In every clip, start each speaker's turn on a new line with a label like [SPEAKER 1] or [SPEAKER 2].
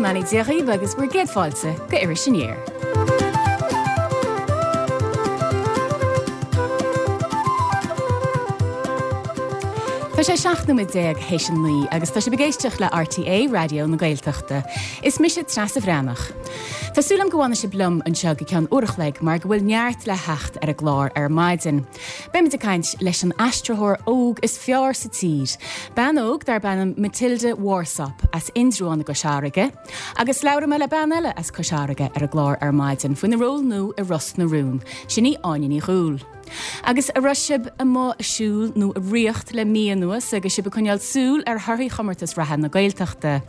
[SPEAKER 1] mbeannaí Dé dhaoibh agus bhur gcéad fáilte go Iris Aniar. Tá sé 17 nóiméad théis a 9 agus tá sibh ag éisteacht le RTÉ Raidió na Gaeltachta. Is mise Treasa Bhreathnach. Tá súil agam go bhfanfaidh sibh liom anseo go ceann uair a chloig mar go bhfuil neart le theacht ar an gclár ar maidin. Beimid ag caint leis an aistritheoir óg is fearr sa tír, bean óg darb ainm Matilda Warsop as Indreabhán i gCois Fharraige, agus labhróidh mé le bean eile as Cois Fharraige ar an gclár ar maidin faoina ról nua i Ros na Rún, sin í Áine Ní Dhúill. Agus an raibh sibh amuigh ag siúl nó ag ritheacht le mí anuas agus sibh ag coinneáil súil ar thorthaí chomórtas reatha na Gaeltachta?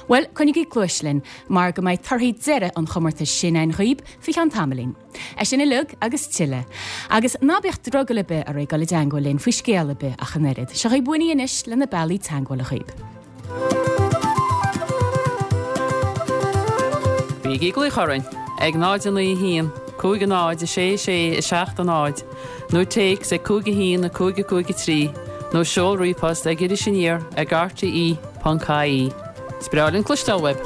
[SPEAKER 1] Bhuel, coinnigí cluais linn mar go mbeidh torthaí deiridh an chomórtais sin againn dhaoib faoi cheann tamaillín. É sin uilig agus tuilleadh. Agus ná bíodh drogall ar bith oraibh dul i dteangmháil linn faoi scéal ar bith ach an oiread. Seo dhaoib Winnie anois le na bealaí teangmhála dhaoib.
[SPEAKER 2] Bígí ag glaoch orainn ag 0 9 1 5 0 6 6 7 0 nó téacs ag 5 1 5 5 3 nó seol ríomhphost ag irisaniar ag rte.ie. Is breá linn cloisteáil uaibh!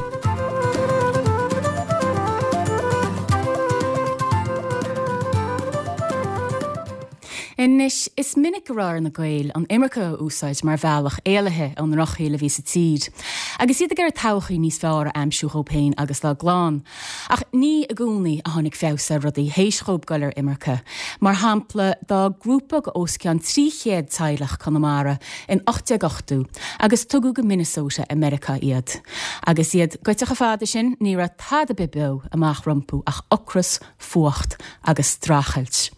[SPEAKER 1] Anois, is minic go raibh ar na Gaeil an imirce a úsáid mar bhealach éalaithe ón ndrochshaol a bhí sa tír, agus iad ag iarraidh todhchaí níos fearr a aimsiú dhóibh féin agus dá gclann. Ach ní i gcónaí a tháinig feabhas ar rudaí théis dhóibh goil ar imirce. Mar shampla, d'fhág grúpa de os cionn 300 teaghlach Conamara in 1880 agus tugadh go Minnesota i Meiriceá iad. Agus iad goite chomh fada sin, ní raibh tada ar bith beo amach rompu ach ocras, fuacht agus streachailt.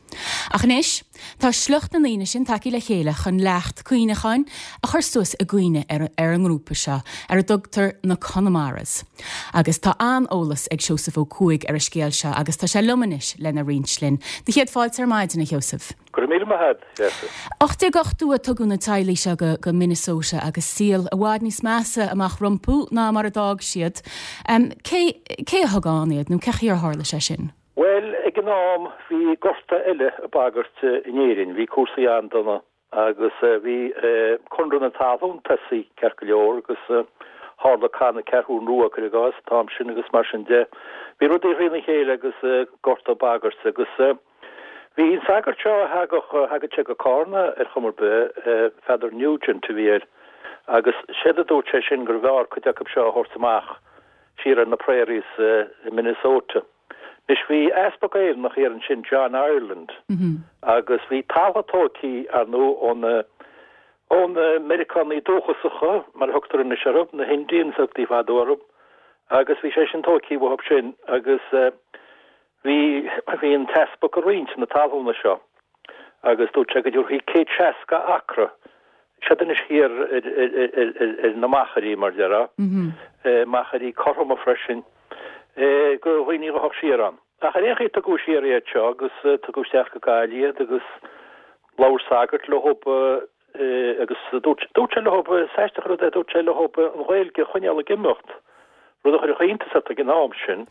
[SPEAKER 1] Ach anois, tá sliocht na ndaoine sin tagtha le chéile chun leacht cuimhneacháin a chur suas i gcuimhne ar an ngrúpa seo, ar a dtugtar na Connemaras. Agus tá an-eolas ag Seosamh Ó Cuaig ar an scéal seo agus tá sé liom anois lena roinnt linn. Do chéad fáilte ar maidin, a Sheosaimh.
[SPEAKER 3] Go raibh míle maith agat, a Threasa.
[SPEAKER 1] 1880 a tugadh na teaghlaigh seo go Minnesota agus saol i bhfad níos measa amach rompu ná mar a d'fhág siad. Cé cé a thug ann iad nó cén chaoi ar tharla sé sin?
[SPEAKER 3] Bhuel, ag an am bhí gorta eile ag bagairt in Éirinn, bhí cúrsaí an-dona agus bhí Conradh na Talún tosaithe ceart go leor agus tharla Cath na Ceathrún Rua, cuir i gcás, an t-am sin agus mar sin de. Bhí rudaí thrína chéile agus gorta ag bagairt agus bhí an sagart seo a thagadh, thagadh sé go Cárna ar chuma ar bith, Father Nugent a bhí air agus séard a dúirt sé sin gurbh fhearr cuid acu seo a thabhairt amach siar ar na prairies i Minnesota. Anois bhí easpag Éireannach thiar ansin, John Ireland, agus bhí talamh tóigthí, ar ndóigh, ó na, ó na Meiriceánaigh dúchasacha, mar a thugtar anois orthu, na hIndians a thugtaí fadó orthu, agus bhí sé sin tóigthí uathu sin agus bhí, bhí an t-easpag ag roinnt na talúna seo agus dúirt sé go dtabharfaí 160 acra, siad anois thiar ar na machairí, mar déarfá, machairí cothroma freisin, do dhaoine a ghabhfadh siar ann. Ach ar aon chaoi tugadh siar iad seo agus tugadh isteach go Gaillimh iad agus labhair sagart leo agus dúirt sé leo, is aisteach an rud é, dúirt sé leo an Ghaeilge a choinneáil ag imeacht, rud a chuirfeadh iontas ort ag an am sin,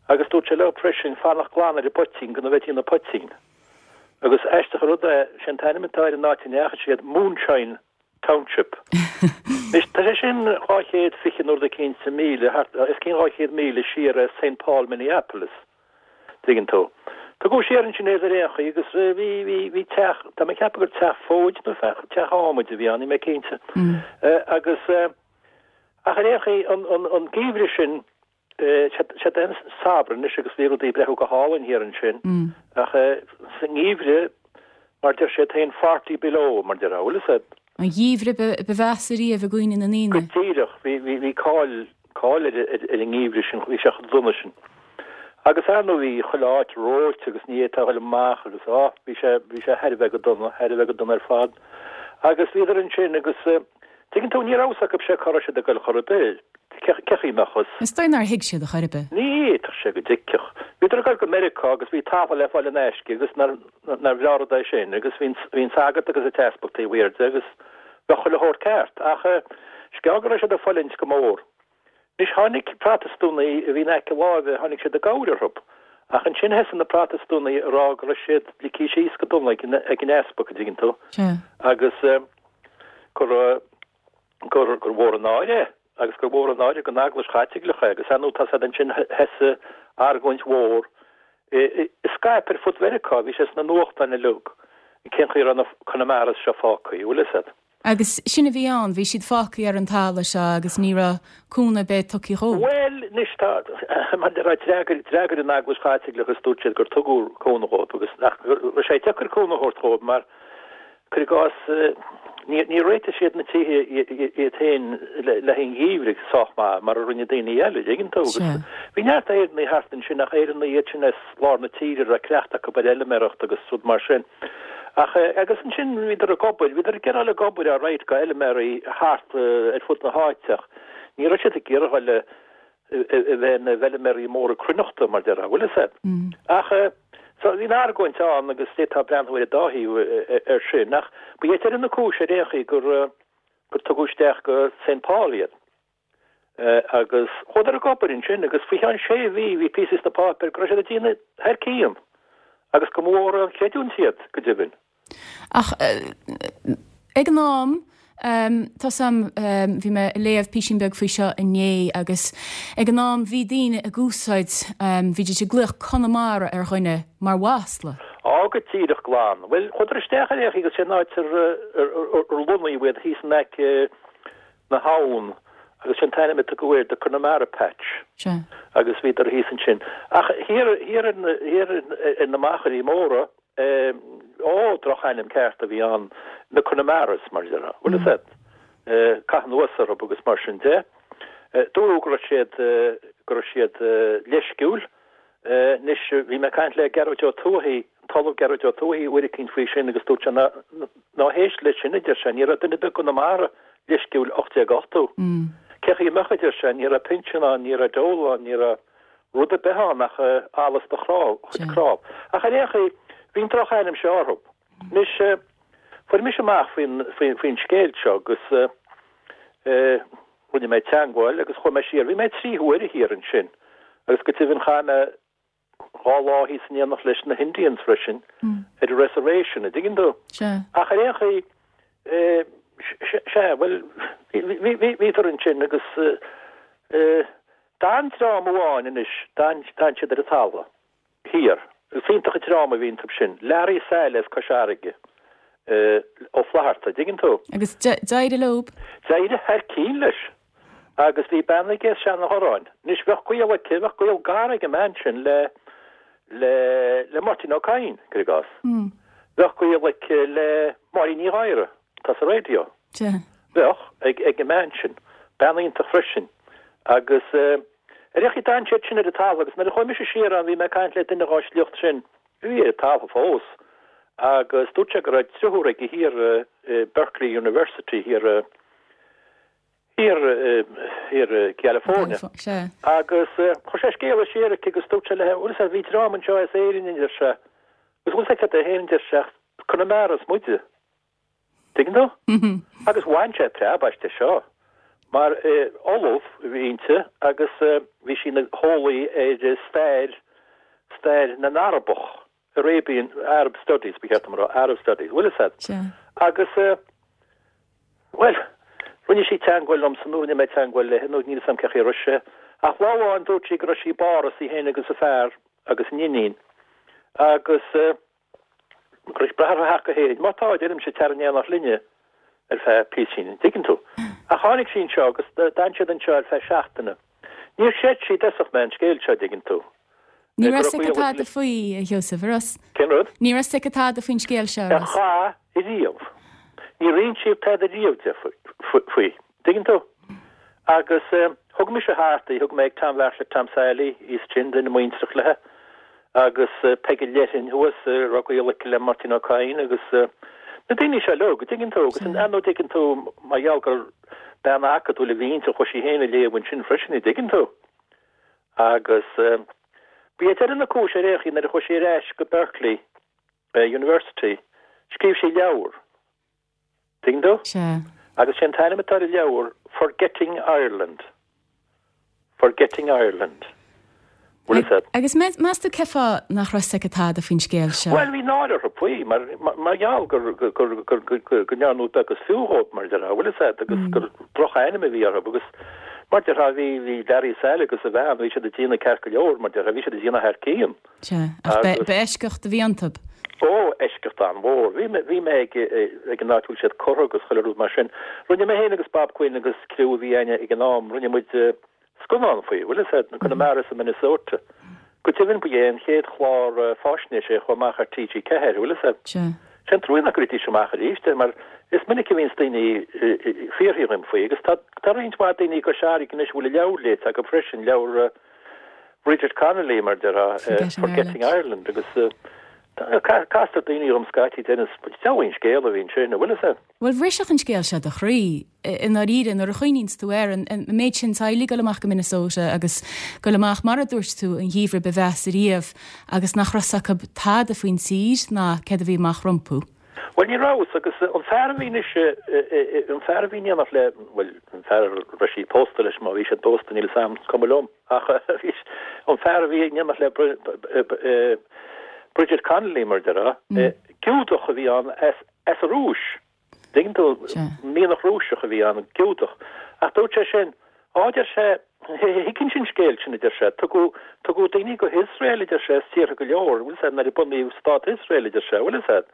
[SPEAKER 3] agus dúirt sé leo freisin fanacht glan ar an bpoitín, go na bheith ina poitín. Agus aisteach an rud é, sé an t-ainm atá ar an áit a ndeachaigh siad, Moonshine Township. Anois, tá sé sin 220 nó rud eicínt míle, thart, os cionn 200 míle siar as Saint Paul, Minneapolis, tuigeann tú. Tugadh siar ansin iad ar aon chaoi agus bhí, bhí, bhí teach, tá mé ag ceapadh gur teach fóid nó teach adhmaid a bhí ann, níl mé cinnte. Agus, ach ar aon chaoi, an, an, an geimhreadh sin, Siad an samhradh anois agus bhí rudaí ag breathnú go hálainn thiar ansin ach sa ngeimhreadh, mar deir siad féin, forty below, mar déarfá, bhfuil fhios a'd.
[SPEAKER 1] An geimhreadh ba mheasa riamh i gcuimhne na
[SPEAKER 3] ndaoine. Go díreach, bhí, bhí cáil, cáil ar, ar an ngeimhreadh sin, bhí sé chomh dona sin. Agus ar ndóigh bhí chuile áit reoite agus ní fhéadfá a ghoil amach agus, á, bhí sé, bhí sé thar a bheith go dona, thar a bheith go dona ar fad. Agus bhíodar ansin agus, Tuigeann tú, ní raibh fhios acu sé cá raibh siad ag goil chor ar bith. Cé chaoi a mbeadh fhios?
[SPEAKER 1] Is dóigh nár thuig siad a chor ar bith.
[SPEAKER 3] Ní fhéadfadh sé go dtuigfeadh. Bhíodar ag goil go Meiriceá agus bhí talamh le fáil in aisce agus nár bhreá rud é sin agus bhí an sagart agus an t-easpag taobh thiar de agus bheadh chuile shórt ceart. Ach sceál go raibh siad ag fulaingt go mór. Anois tháinig Protastúnaigh a bhí in aice láimhe, tháinig siad i gcabhair orthu. Ach ansin thosaigh na Protastúnaigh a rá go raibh siad ligthe síos go dona ag an easpag, an dtuigeann tú, agus gur gur mhór an náire é. agus gur mhór an náire don Eaglais Chaitliceach é agus ar ndóigh tá siad ansin thosaigh argóint mhór a scaip ar fud Mheiriceá, bhí sé sna nuachtáin uilig, cén chaoi a raibh na Conamaras seo fágtha, bhfuil fhios a'd.
[SPEAKER 1] Agus sin a bhí ann, bhí siad fágtha ar an talamh seo agus ní raibh cúnamh ar bith tugtha dhóibh.
[SPEAKER 3] Bhuel, anois tá, mar a déarfá, d'fhreagair, d'fhreagair an Eaglais Chaitliceach agus dúirt siad gur tugadh cúnamh dhóibh agus nach raibh sé deacair cúnamh a thabhairt dhóibh mar, Cuir i gcás, níor réitigh siad na tithe iad féin le haghaidh an gheimhridh sách maith mar a rinne daoine eile, an dtuigeann tú. Agus bhí neart Éireannaigh thart ansin ach Éireannaigh iad sin as lár na tíre a raibh cleachtadh acu ar fheilméaracht agus rud mar sin. Ach, agus ansin bhíodar ag obair, bhíodar ag iarraidh ag obair alright go fheilméaraí thart ar fud na háite ach ní raibh siad ag iarraidh a dhul a bheith ina bhfeilméaraí móra cruithneachta, mar déarfá, bhfuil fhios a'd. Ach, so, bhí an argóint ann agus d'fhéadfá breathnú ar an dá thaobh ar sin, ach ba é deireadh na cúise ar aon chaoi gur, gur tugadh isteach go Saint Paul iad. Agus chuadar ag obair ansin agus faoi cheann sé mhí bhí píosaí sna páipéir go raibh siad ag déanamh thar cionn agus go mba mhór an chreidiúint iad, go deimhin.
[SPEAKER 1] Ach ag an am, tá 's a'm, bhí mé ag léamh písín beag faoi seo inné agus ag an am bhí daoine ag úsáid, bhídís ag glaoch Conamara ar dhuine mar mhasla.
[SPEAKER 3] Á, go díreach glan. Bhuel, chuadar isteach ar aon chaoi agus sé an áit ar lonnaíodh iad thíos in aice na habhann agus sé an t-ainm a tugadh air, the Connemara Patch.
[SPEAKER 1] Sea.
[SPEAKER 3] Agus bhíodar thíos ansin. Ach thiar, thiar ar na, thiar ar na machairí móra, Ó, drochainm ceart a bhí ann, na Conamaras, mar a déarfá. Bhfuil fhios a'd? Caitheamh anuas orthu agus mar sin de. Dúradh go raibh siad, go raibh siad leisciúil. Anois, bhí mé ag caint le Gearóid Ó Tuathaigh, an tOllamh Gearóid Ó Tuathaigh uair eicínt faoi sin agus dúirt sé ná, ná héist leis sin, a deir sé, ní raibh duine ar bith i gConamara leisciúil 1880. Cén chaoi a mbeadh, a deir sé, ní raibh pinsean ann, ní raibh dole ann, ní raibh. rud ar bith ann ach allas do chuid cnámh. Ach ar aon chaoi, bhí an drochainm seo orthu. Anois, fuair mise amach faoin scéal seo agus rinne mé teagmháil agus chuaigh mé siar. Bhí mé trí huaire thiar ansin agus go deimhin chaith mé dhá lá thíos in éineacht leis na hIndians freisin ar an reservation, an dtuigeann tú? Ach ar aon chaoi, sea, bhuel, bhíodar ansin agus D'fhan dream amháin anois, d'fhan siad ar an talamh thiar. Is iontach an dream a bhí iontu sin. Learaí Saile as Cois Fharraige, Ó Flatharta, dtuigeann tú?
[SPEAKER 1] Agus d'éirigh leob?
[SPEAKER 3] D'éirigh thar cinn leis. Agus bhí bean aige as Seanadh Dhoráin. Anois, bheadh gaol aici, bheadh gaol gar ag an mbean sin le, le, le Máirtín Ó Cadhain, cuir i gcás. Bheadh gaol aici le Máirín Ní Ghadhra, atá sa raidió. Bheadh, ag, ag an mbean sin. Bean iontach freisin. Agus ar aon chaoi d'fhan siad sin ar an talamh agus nuair a chuaigh mise siar ann bhí mé ag caint le duine dhá shliocht sin a bhí ar an talamh fós agus dúirt sé go raibh driotúr aige thiar i Berkeley University thiar i thiar thiar i gCalifornia. Agus chuir sé scéala siar aici agus dúirt sé léi bhfuil fhios a'd bhí dream anseo as Éirinn a deir sé agus bhfuil fhios a'd cad é féin a deir sé ach Conamaras muide. Tuigeann tú? Agus bhain sé preab aisti seo, mar ollamh a bhí inti agus bhí sí ina heolaí ar stair, stair na nArabach, Arabian, Arab Studies, ba cheart dom a rá, Arab Studies, bhfuil fhios a'd?
[SPEAKER 1] Sea.
[SPEAKER 3] Agus, bhuel, rinne sí teagmháil liomsa nó rinne mé teagmháil léi nó níl fhios a'm cén chaoi a raibh sé, ach lá amháin dúirt sí go raibh sí i bPáras, í féin agus a fear agus a n-iníon, agus, go raibh brath orthu theacht go hÉirinn. Má tá, a deirimse, tar in éineacht linne ar feadh píosín, an dtuigeann tú? Ach tháinig sí anseo agus d'fhan siad anseo ar feadh seachtaine. Níor chreid sí i dtosach mé an scéal seo, an dtuigeann tú.
[SPEAKER 1] Ní raibh fhios aici tada faoi, a Sheosaimh, an raibh?
[SPEAKER 3] Cén rud?
[SPEAKER 1] Ní raibh fhios aici tada faoin scéal seo, an
[SPEAKER 3] raibh? Ar chaith ariamh. Níor insíodh tada riamh di faoi. Tuigeann tú? Agus thug mise thart í, thug mé ag Tom Bheartla Tom Sailí, thíos ansin, duine muintreach léi, agus Peige Leirthinn thuas, a raibh gaol aici le Máirtín Ó Cadhain agus na daoine seo uilig, an dtuigeann tú, agus ar ndóigh tuigeann tú, mar gheall gur bean acadúil a bhí inti, chuaigh sí féin ag léamh ansin freisin, an dtuigeann tú. Agus ba é deireadh na cúise ar aon chaoi nuair a chuaigh sí ar ais go Berkeley University, scríobh sí leabhar. Tuigeann tú?
[SPEAKER 1] Sea.
[SPEAKER 3] Agus sé an t-ainm atá ar an leabhar, Forgetting Ireland. Forgetting Ireland. Bhfuil fhios a'd?
[SPEAKER 1] Agus meas tú cén fáth nach raibh fhios aici tada faoin scéal seo?
[SPEAKER 3] Bhuel, bhí náire orthu faoi, mar, mar gheall gur, gur, gur, gur, gur, go ndearnadh beag is fiú dhóibh, mar a déarfá, bhfuil fhios a'd, agus gur drochainm a bhí orthu, agus. Mar déarfá, bhí, bhí Larry Sal agus a bhean, bhí siad ag déanamh ceart go leor, mar déarfá, bhí siad ag déanamh thar cionn.
[SPEAKER 1] Sea, ach ba, ba eisceacht a bhí iontu.
[SPEAKER 3] Ó, eisceacht an-mhór. Bhí mé, bhí mé ag, ag an áit a bhfuil siad curtha agus chuile rud mar sin. Rinne mé féin agus Bob Quinn agus criú a bhí againne ag an am, rinne muid scannán faoi, bhfuil a fhios agat, Conamara sa Minnesota. Go deimhin ba é an chéad chlár fáisnéise a chuaigh amach ar TG4, bhfuil a fhios agat.
[SPEAKER 1] Sea.
[SPEAKER 3] Sé an trua nach gcuirfidís amach arís é mar is minic a bhíonns daoine ag fiafraí dhíom faoi agus tá tá roinnt mhaith daoine i gCois Fharraige anois a bhfuil a leabhar léite acu freisin, leabhar Bridget Connolly mar déarfá,
[SPEAKER 1] Forgetting
[SPEAKER 3] Forgetting Ireland agus castar daoine dhom scaití deireann deabhail an scéal a bhí ansin, an bhfuil a fhios agat.
[SPEAKER 1] Bhuel, bhrisfeadh an scéal seo do chroí, i ndáiríre, nuair a chuimhníonns tú air, an méid sin teaghlaigh ag dul amach go Minnesota agus dul amach, mar a dúirt tú, an gheimhreadh ba mheasa riamh agus nach raibh 's acu tada faoin tír ná céard a bhí amach rompu.
[SPEAKER 3] Bhuel, ní raibh 's, agus an fear a bhí anois, an fear a bhí in éineacht le, bhuel, an fear a raibh sí pósta leis, má bhí siad pósta, níl 'fhios a'm, is cuma liom, ach bhí, an fear a bhí in éineacht le Bridget Connolly, mar a déarfá, Giúdach a bhí ann as, As an Rúis. Tuigeann tú, mianach Rúiseach a bhí ann, Giúdach. Ach dúirt sé sin, Á, a deir sé, thuigfinnse an scéal sin, a deir sé, tugadh, tugadh daoine go hIosrael, a deir sé, as tíortha go leor, bhfuil 'fhios a'd, nuair a bunaíodh stát Iosrael, a deir sé, bhfuil 'fhios a'd.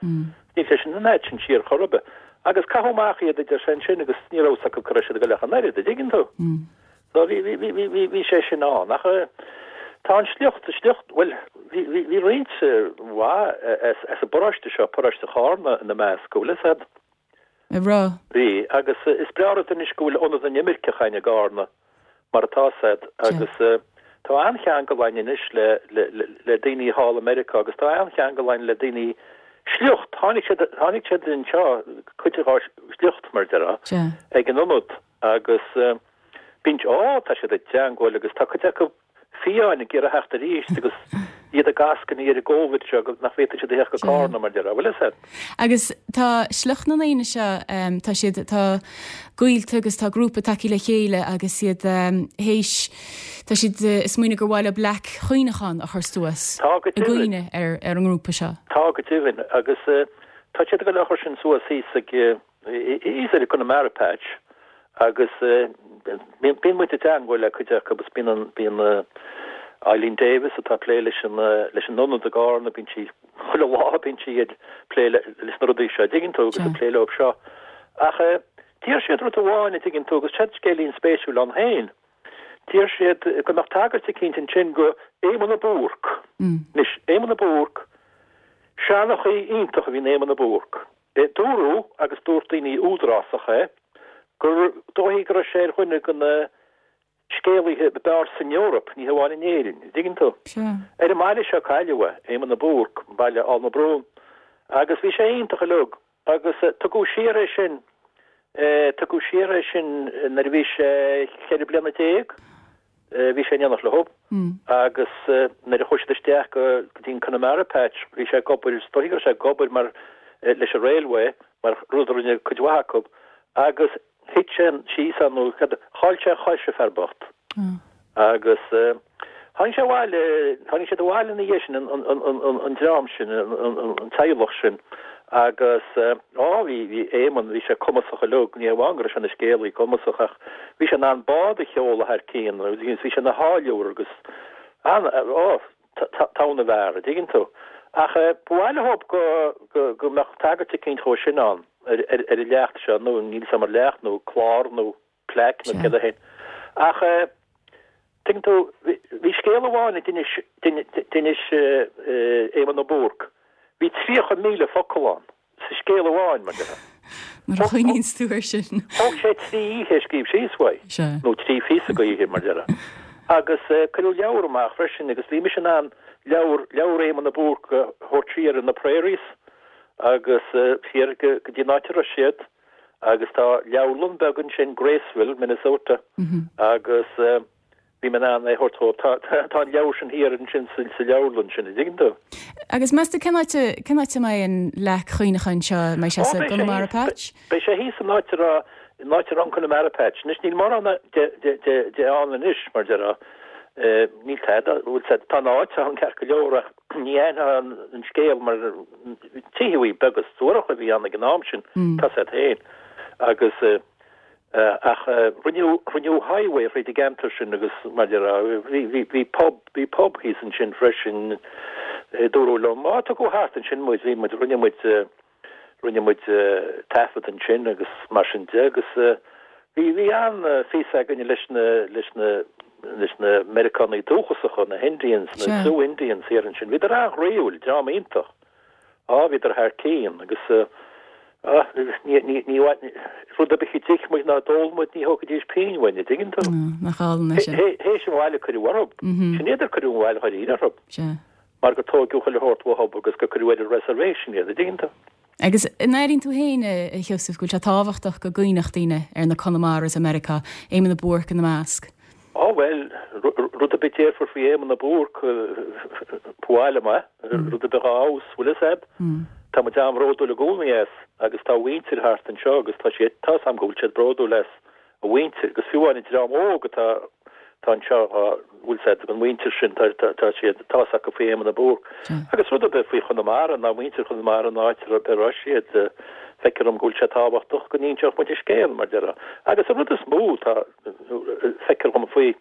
[SPEAKER 3] Níl sé sin an fhad sin siar chor ar bith. Agus caitheadh amach iad, a deir sé, ansin agus ní raibh 'fhios acu cá raibh siad ag dul ach an oiread, a dtuigeann tú. So bhí, bhí, bhí, bhí, bhí sé sin ann. Ach tá an sliocht, sliocht, bhuel, bhí, bhí, bhí roinnt mhaith as, as an bparóiste seo, paróiste Chárna ina measc, bhfuil 'fhios a'd?
[SPEAKER 1] An raibh?
[SPEAKER 3] Bhí, agus is breá rud anois go bhfuil Ionad na nImirceach a'inn i gCárna, mar atá 'fhios a'd, agus tá an-cheangal a'inn anois le, le, le, le daoine thall i Meiriceá agus tá an-cheangal a'inn le daoine sliocht, tháinig siad, tháinig siad anseo, cuid dhá sliocht, mar a déarfá, ag an ionad. Agus bíonn, á, tá siad i dteangmháil agus tá cuid acu fiáin ag iarraidh theacht arís agus iad ag eascainí ar an gCóivid seo go nach bhféadfaidh siad a theacht go Cárna mar a déarfá, bhfuil 'fhios a'd.
[SPEAKER 1] Agus tá sliocht na ndaoine seo, tá siad, tá gaolta agus tá grúpa tagtha le chéile agus iad théis, tá siad ag smaoineamh gur mhaith leo leac chuimhneacháin a chur suas
[SPEAKER 3] Tá go
[SPEAKER 1] i
[SPEAKER 3] deimhin.
[SPEAKER 1] gcuimhne ar ar an ngrúpa seo.
[SPEAKER 3] Tá go deimhin agus tá siad ag dul a chur sin suas thíos ag, Thíos ar an Connemara Patch agus bíonn muid i dteangmháil le cuid acu agus bíonn an, bíonn Eileen Davis atá ag plé leis an, leis an ionad i gCárna, bíonn sí, chuile lá bíonn sí ag plé leis na rudaí seo, a dtuigeann tú, agus ag plé leo seo. Ach d'iarr siad rud amháin, a dtuigeann tú, agus seo scéilín spéisiúil ann féin. D'iarr siad go mbeadh tagairt eicínt ansin go Éamonn de Búrc. Anois, Éamonn de Búrc, seanchaí iontach a bhí in Éamonn de Búrc. Dúradh, agus dúirt daoine údarásacha é, gur dóichí go raibh sé ar dhuine de na scéalaithe ab fhearr san Eoraip, ní hamháin in Éirinn, an dtuigeann tú.
[SPEAKER 1] Sea.
[SPEAKER 3] Ar an mbaile seo a cailleadh é, Éamonn de Búrc, baile Aill na Brún, agus bhí sé iontach uilig, agus tugadh siar é sin, tugadh siar é sin nuair a bhí sé 14 bliana, Bhí sé in éineacht leo agus nuair a chuaigh siad isteach go dtí an Connemara Patch bhí sé ag obair, is dóichí go raibh sé ag obair mar leis an railway mar rud a rinne cuid mhaith acu agus thit sé síos ann nó chaill sé a chois an fear bocht agus tháinig sé abhaile, tháinig siad abhaile ina dhiaidh sin an dream sin, an teaghlach sin agus á bhí, bhí Éamonn, bhí sé cumasach uilig, ní hamháin go raibh sé ina scéalaí cumasach ach Bhí sé in ann bád a sheoladh thar cionn agus bhí sé ina tháilliúr agus an, ó, togha na bhfear, a dtuigeann tú. Ach ba mhaith leo go, go, go mbeadh tagairt eicínt dhó sin ann ar, ar, ar an leacht seo, nó níl 'fhios a'm ar leacht nó clár nó plaic nó céard é féin. Ach tuigeann tú, bhí, bhí scéal amháin a d'inis, d'inis Éamonn Ó Búrc, bhí 30,000 focal ann. sa scéal amháin, mar déarfá.
[SPEAKER 1] Nuair a chuimhníonns tú air sin.
[SPEAKER 3] Thóg sé 3 oíche a scríobh síos uaidh, nó 3 phíosa go oíche, mar déarfá. Agus cuireadh leabhar amach freisin agus bhí mise in ann leabhar, leabhar Éamonn de Búrc a thabhairt siar ar na prairies agus siar go dtí an áit a raibh siad agus tá leabharlann beag ansin, Graceville, Minnesota, agus Bhí mé in ann é a thabhairt dhóibh. Tá, tá an leabhar sin thiar ansin sa, sa leabharlann sin, an dtuigeann tú?
[SPEAKER 1] Agus meas tú cén áit a, cén áit a mbeidh an leac chuimhneacháin seo? An mbeidh sé sa gConamara Patch?
[SPEAKER 3] Beidh sé thíos san áit a raibh, in áit a raibh an Conamara Patch. Anois níl mórán de, de, de, de ann anois, mar déarfá. Níl tada, bhfuil 's a'd, tá an áit ann ceart go leor ach ní aithneofá an, an scéal mar tithe beaga suaracha a bhí ann ag an am sin, tá 's a'd féin. Agus. Ach rinneadh, rinneadh highway thríd an gceantar sin agus mar a déarfá, bhí, bhí, bhí pub, bhí pub thíos ansin freisin, dúradh liom, á tugadh thart ansin muid, bhí muid, rinne muid, rinne muid taifead ansin agus mar sin de agus bhí, bhí an-phíosa againne leis na, leis na, leis na Meiriceánaigh dúchasacha, na Indians, na Sioux Indians thiar ansin. Bhíodar an-ghroíúil, dream iontach. Á, bhíodar thar cionn agus á, ní, ní, ní, rud ar bith a d'ith muid ná d'ól muid, ní thógfaidís pingin uainn, an dtuigeann tú?
[SPEAKER 1] Nach álainn é sin.
[SPEAKER 3] Théis an bhail a cuireadh orthu. Sin iad ar cuireadh an bhail dháiríre orthu.
[SPEAKER 1] Sea.
[SPEAKER 3] Mar gur tóigeadh chuile shórt uathu agus gur cuireadh ar an reservation iad, an dtuigeann tú?
[SPEAKER 1] Agus an airíonn tú féin, a Sheosaimh, go bhfuil sé tábhachtach go gcuimhneodh daoine ar na Conamaras i Meiriceá, Éamonn de Búrc ina measc?
[SPEAKER 3] Á bhuel, rud ar bith a déarfar faoi Éamonn de Búrc, ba mhaith liom é, rud ar bith dhá fheabhas, bhfuil fhios a'd? Tá muid an-bhródúil i gcónaí as agus tá a mhuintir thart anseo agus tá siad, tá 'fhios a'm go bhfuil siad bródúil as a mhuintir agus fiú amháin an dream óg atá atá anseo tá bhfuil 'fhios a'd an mhuintir sin tá tá tá siad tá 'fhios acu faoi Éamonn de Búrc agus rud ar bith faoi Chonamara ná muintir Chonamara an áit ar bith a raibh siad feictear dom go bhfuil sé tábhachtach go n-inseodh muid an scéal mar déarfá agus an rud is mó tá feictear dom faoi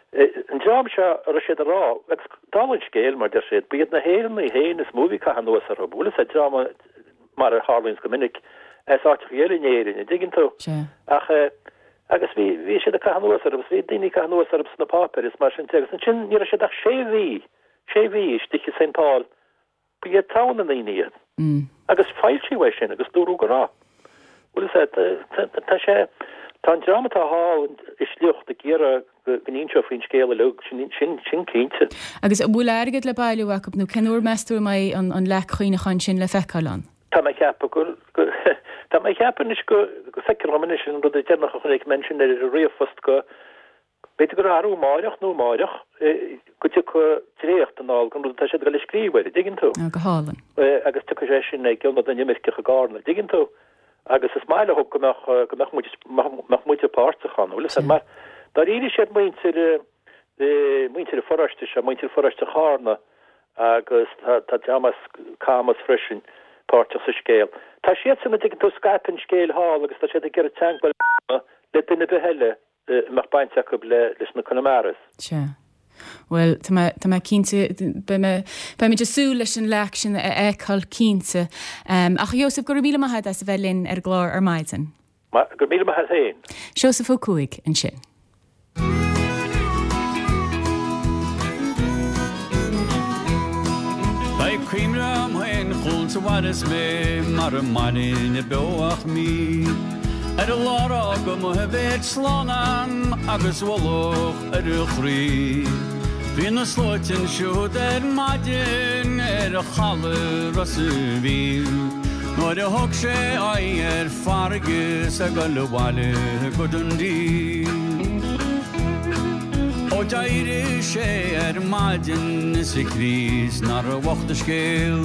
[SPEAKER 3] an dream seo a raibh siad a rá agus dála an scéil mar deir siad ba iad na hÉireannaigh féin is mó a bhí ag caitheamh anuas orthu bhfuil 'fhios a'd dream mar a tharlaíonns go minic, as áiteacha eile in Éirinn, an dtuigeann tú?
[SPEAKER 1] Sea.
[SPEAKER 3] Ach, eh, agus bhí, bhí siad ag caitheamh anuas orthu, agus bhí daoine ag caitheamh anuas orthu sna páipéir is mar sin de, agus ansin ní raibh siad ach sé mhí, sé mhí istigh i St. Paul, ba iad togha na ndaoine iad. Agus foilsíodh é sin agus dúradh go raibh. Bhfuil 'fhios a'd, tá sé, tá an dream atá thall i sliocht ag iarraidh go n-inseofaí an scéal uilig, sin, sin, sin cinnte.
[SPEAKER 1] Agus an bhfuil airgead le bailiú acu nó cén uair meas tú a mbeidh an, an leac chuimhneacháin sin le feiceáil ann?
[SPEAKER 3] Tá mé ag ceapadh gur, go, tá mé ag ceapadh anois go, go feictear dhom anois an rud deireanach a chonaic mé ansin ar an ríomhphost go, b'fhéidir gur arú amáireach nó amáireach go dtiocfaidh dréacht anall den rud atá siad ag dul a scríobh air, an dtuigeann tú?
[SPEAKER 1] Á, go hálainn.
[SPEAKER 3] Agus tiocfaidh sé sin ag Ionad na nImirceach i gCarna, an dtuigeann tú? Agus is maith leo go mbeadh, go mbeadh muid, mbeadh muide páirteach ann, bhfuil 'fhios a'd, mar dáiríre siad muintir, muintir an pharóiste seo, muintir pharóiste Charna agus tá, tá dream as Camas freisin páirteach sa scéal. Tá siadsan, an dtuigeann tú, ag scaipeadh an scéil thall agus tá siad ag iarraidh teagmháil a dhéanamh le duine ar bith eile a mbeadh baint acu leis na Conamaras.
[SPEAKER 1] Sea. Bhuel, tá mé, tá mé cinnte, beidh mé, beimid ag súil leis an leac sin a fheiceáil, cinnte. Ach a Sheosaimh, go raibh míle maith agat as a bheith linn ar an gclár ar maidin.
[SPEAKER 3] Go raibh míle maith agat féin.
[SPEAKER 1] Seosamh Ó Cuaig ansin.
[SPEAKER 4] Beidh cuimhne a'm féin chugat a mhairfeas mé mara mairinne beo ach mí. Ar an lá ar fhág mo bhéal slán a'm agus ualach ar a chroí. Bhí na sluaite ansiúd ar maidin ar chaladh Ros a' Mhíl. Nuair a thug sé aghaidh ar farraige 's ag dul abhaile go Dundee. Ó d'éirigh sé ar maidin is a Chríost nár bhocht a scéal.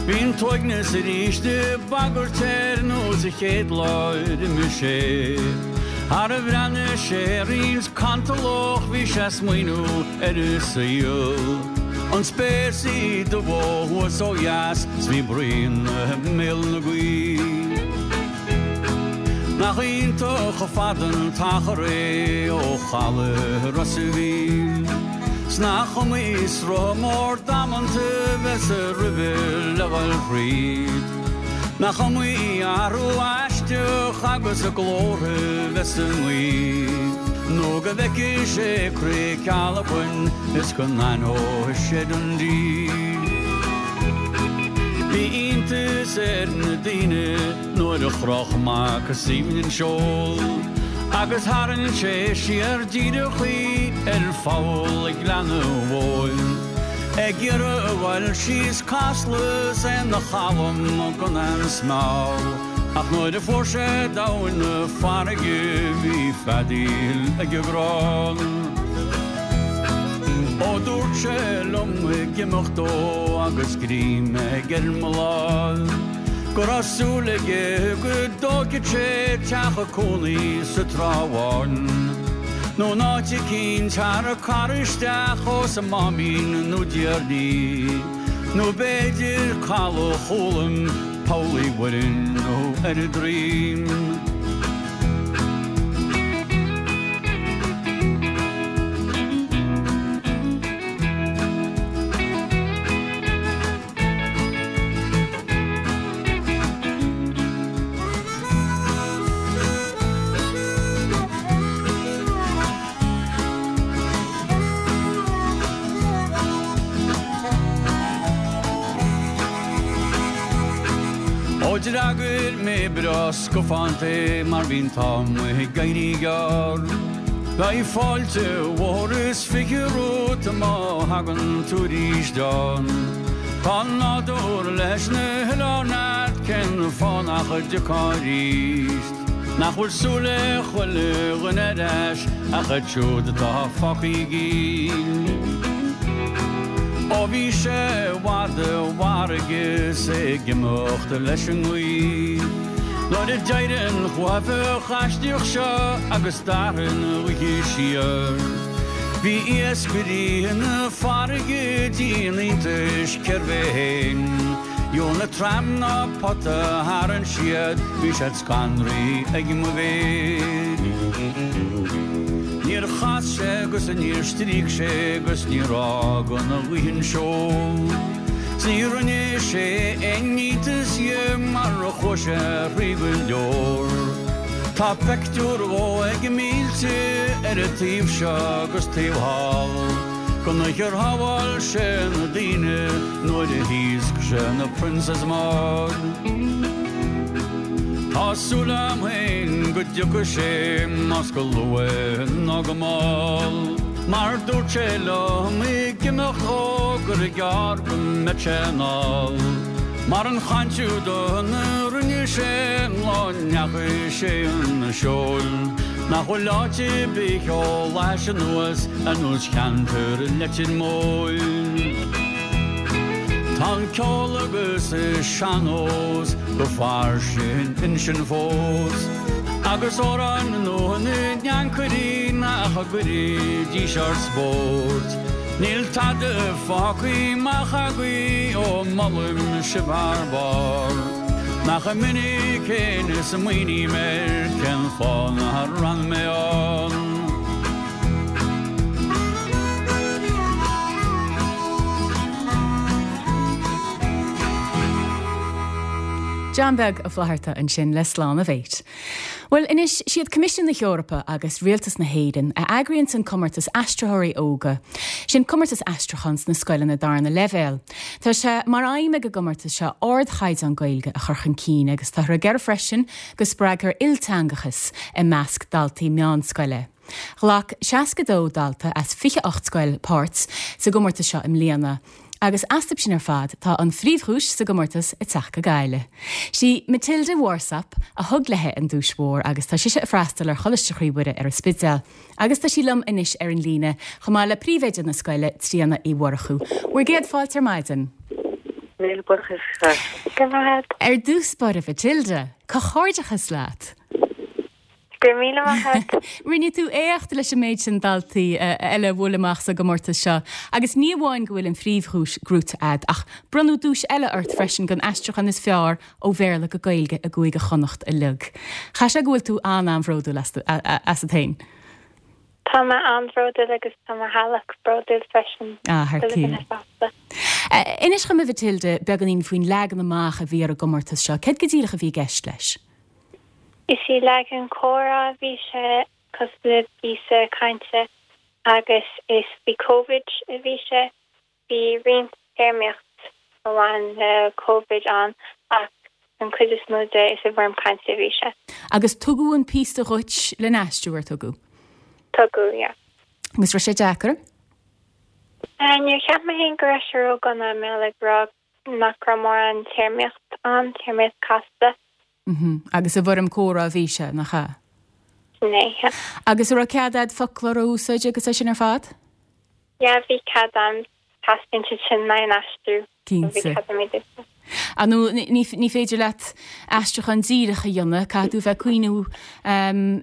[SPEAKER 4] Bhí an t-uaigneas arís ag bagairt air nós an chéad lá ar imigh sé. Thar a bhreathnaigh sé ar roinnt cantalach bhí sé ag smaoineamh ar a saol. An spéir 's í dubh ó thuaidh 's ó dheas 's bhí braon i mbéal na gaoithe. Nach iontach chomh fada an t-achar é ó chaladh Ros a' Mhíl. 'S nach iomaí sruth mór damanta bheas roimhe le dhul thríd. Nach iomaí athrú aisteach agus a glórtha bheas sa ngaoth. Nó go bhfeicfidh sé Creag Ceallachain is go n-aithneoidh sé Dundee. Bhí iontas ar na daoine. Nuair a chroch Mac Suibhne an seol agus tharraing sé siar díreach í ar pholl ag Gleann an Mhóin ag iarraidh a ghoil síos Casla 's é 'na chalm gan aon smál ach nuair a fuair sé domhain na farraige bhí feadaíl ag an gcrann. Ó dúirt sé liom ag imeacht dó agus greim aige ar mo láimh. Go raibh súil aige go dtógfadh sé teach cónaí sa Trá Bháin nó in áit eicínt thar an carr isteach ós an Máimín nó Déardaoin nó b'fhéidir Caladh Chúlaim, Poll Uí Mhuirinn nó ar an Droim. Ó d'fhreagair mé breá scafánta é mar bhí an t-am ag éirí gearr. Beidh fáilte mhór is 20 romhat má thagann tú arís ann. Tá nádúr leis na hoileáin a'd cén fáth nach dtiocfá arís? Nach bhfuil súil ag chuile dhuine ar ais ach iad siúd atá fágtha i gcill. Ó bhí sé i bhfad i bhfarraige is é ag imeacht leis an ngaoth. Nuair a d'éirigh an chuaifeach aisteach seo agus d'athraigh an oíche siar. Bhí iascairí na farraige i dtí an iontais cérbh é féin. Gheobhaidh na tram ná pota a tharraing siad, bhí siad scanraithe ag mo mhéid. Níor chas sé agus níor stríoc sé agus níor fhág an ghaoth an seol. 'S ní rinne sé aon iontas dhe mar chuaigh sé thrí go leor. Tá peictiúr dhó ag mílte ar an taobh seo agus taobh thall. Gon oíche ar shábháil sé na daoine nuair a thaosc sé na Princess Maud. Tá súil a'm féin go dtiocfaidh sé más go luath nó go mall. Mar dúirt sé liom ag imeacht dhó gur gearr go mbeadh sé anall. Mar an chaint úd a rinne sé an lá a ndeachaigh sé chun an seoil. Nach bhfuil áit ar bith chomh leis anuas ar nós cheantar Leitir Móir. Tá an ceol agus an sean-nós go fairsing ansin fós, agus amhráin nua na n-ancairí nach gcuirfidís ár spórt. Níl tada fágtha amach agaibh ó molaim sibh thar barr. Nach minic fhéin a smaoiním air cén fáth nár fhan mé ann.
[SPEAKER 1] John Beag Ó Flatharta ansin le Slán a Mhéit. Bhuel, anois, siad Coimisiún na hEorpa agus Rialtas na hÉireann a eagraíonns an comórtas Aistritheoirí Óga, sin comórtas aistriúcháin sna scoileanna darna leibhéal. Tá sé mar aidhm ag an gcomórtas seo ardchaighdeán Gaeilge a chur chun cinn agus táthar ag iarraidh freisin go spreagfar ilteangachas i measc daltaí meánscoile. Ghlac 62 dalta as 28 scoil páirt sa gcomórtas seo i mbliana. Agus astu sin ar fad, tá an phríomhdhuais sa gcomórtas ag teacht go Gaillimh. Sí Matilda Warsop a thug léi an duais mhór agus tá sise ag freastal ar Choláiste Chroí Mhuire ar an Spidéal. Agus tá sí liom anois ar an líne, chomh maith le príomhoide na scoile, Tríona Uí Mhurchú. Bhur gcéad fáilte ar maidin.
[SPEAKER 5] Míle buíochas.
[SPEAKER 1] Go raibh maith agat. Ar dtús báire, Mhatilda, comhghairdeachas leat!
[SPEAKER 5] Go raibh míle maith agat.
[SPEAKER 1] Rinne tú éacht leis an méid sin daltaí eile a bhuail amach sa gcomórtas seo agus ní amháin go bhfuil an phríomhdhuais gnóite a'd ach bronnadh duais eile ort freisin don aistriúchán is fearr ó Bhéarla go Gaeilge i gCúige Chonnacht uilig. Chaithfeadh sé go bhfuil tú an-an-bhródúil asat féin.
[SPEAKER 5] Tá mé an-bhródúil agus tá mo theaghlach bródúil freisin.
[SPEAKER 1] Ah, thar cionn. Inis dhom a Mhatilda beagáinín faoin leagan amach a bhí ar an gcomórtas seo. Céard go díreach a bhí i gceist leis?
[SPEAKER 5] Is i leagan comhrá a bhí sé, cosúil le píosa cainte, agus is faoi Covid a bhí sé. Bhí roinnt téarmaíocht a bhain le Covid ann ach an chuid is mó de is i bhfoirm cainte a bhí sé.
[SPEAKER 1] Agus tugadh an píosa dhuit lena aistriú, ar tugadh?
[SPEAKER 5] Tugadh, yeah.
[SPEAKER 1] Agus raibh sé deacair?
[SPEAKER 5] Níor cheap mé féin go raibh sé ródhona, mé ag rá nach raibh mórán téarmaíocht ann, téarmaíocht casta.
[SPEAKER 1] Mhm. Agus i bhfoirm comhrá a bhí sé, nach ea?
[SPEAKER 5] Sin é, yeah.
[SPEAKER 1] Agus an raibh cead a'd foclóir a úsáid agus é sin ar fad?
[SPEAKER 5] Yeah, bhí cead a'm. Teastaíonn siad sin le haghaidh an aistriú.
[SPEAKER 1] So bhí
[SPEAKER 5] Cinnte. cead a'm iad a úsáid.
[SPEAKER 1] Ar ndóigh, ní, ní féidir leat aistriúchán díreach a dhéanamh, caithfidh tú a bheith ag cuimhniú,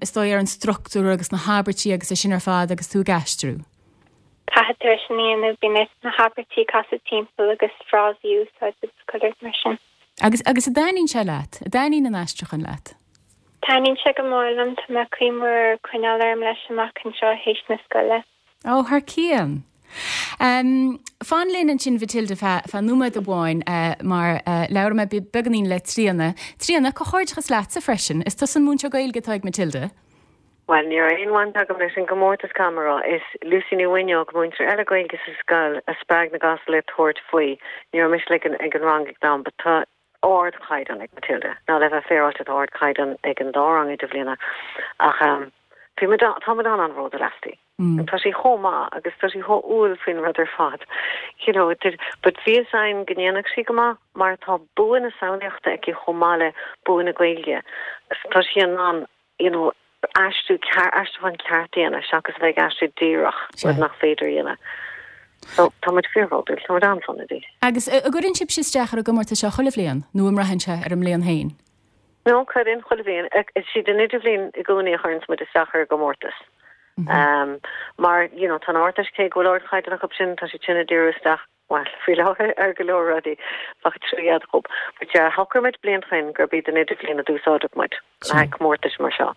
[SPEAKER 1] is dóigh, ar an struchtúr agus na habairtí agus é sin ar fad agus tú ag aistriú.
[SPEAKER 5] Caithfidh tú é sin a dhéanamh, bíonn ort na habairtí a chasadh timpeall agus frásaí a úsáid agus chuile rud mar sin.
[SPEAKER 1] Agus, agus an dtaitníonn sé leat? An dtaitníonn an aistriúchán leat?
[SPEAKER 5] Taitníonn sé go mór liom, tá mé ag cuimhniú ar coinneáil orm leis amach anseo théis na scoile.
[SPEAKER 1] Ó, thar cionn! Fan linn ansin Mhatilda feadh, feadh nóiméad amháin mar labhróidh mé beagáinín le Tríona. Tríona, comhghairdeachas leatsa freisin, is tusa an múinteoir Gaeilge atá ag Matilda.
[SPEAKER 6] Bhuel, ní raibh aon bhaint agam leis an gcomórtas, caithfidh mé a rá. Is Lucy Ní Mhuineoig, múinteoir eile Gaeilge sa scoil, a spreag na gasúir le tabhairt faoi. Ní raibh mise ag an rang ag an am, but tá. ardchaighdeán ag Matilda. Now le bheith féaráilte tá ardchaighdeán ag an dá rang idirbhliana ach bhí muid, tá muid an-an-bhródúil aisti. Tá sí chomh maith agus tá sí chomh umhal faoin rud ar fad. You know, but bhí fhios againn go ndéanfadh sí go maith mar tá bua na samhlaíochta aici chomh maith le bua na Gaeilge. Tá sí in ann you know, aistriú ceart, aistriúchán ceart a dhéanamh seachas a bheith ag aistriú díreach, rud nach féidir a dhéanamh. So, tá muid fíorbhródúil, tá muid an-sona di.
[SPEAKER 1] Agus an gcuireann sibhse isteach ar an gcomórtas seo chuile bhliain, nó an mbraitheann sé ar an mbliain féin?
[SPEAKER 6] No, cuireann, chuile bhliain. Is iad an idirbhliain i gcónaí a chuireanns muid isteach ar an gcomórtas. Mar, you know, tá an Ardteist, cé go bhfuil ardchaighdeán acu sin, tá siad sin ag díriú isteach, bhuel, faoi láthair ar go leor rudaí, bheadh trua dhóibh. But yeah, shocraigh muid bliain ó shin gurb iad an idirbhliain a d'úsáidfeadh muid le haghaidh comórtais mar seo.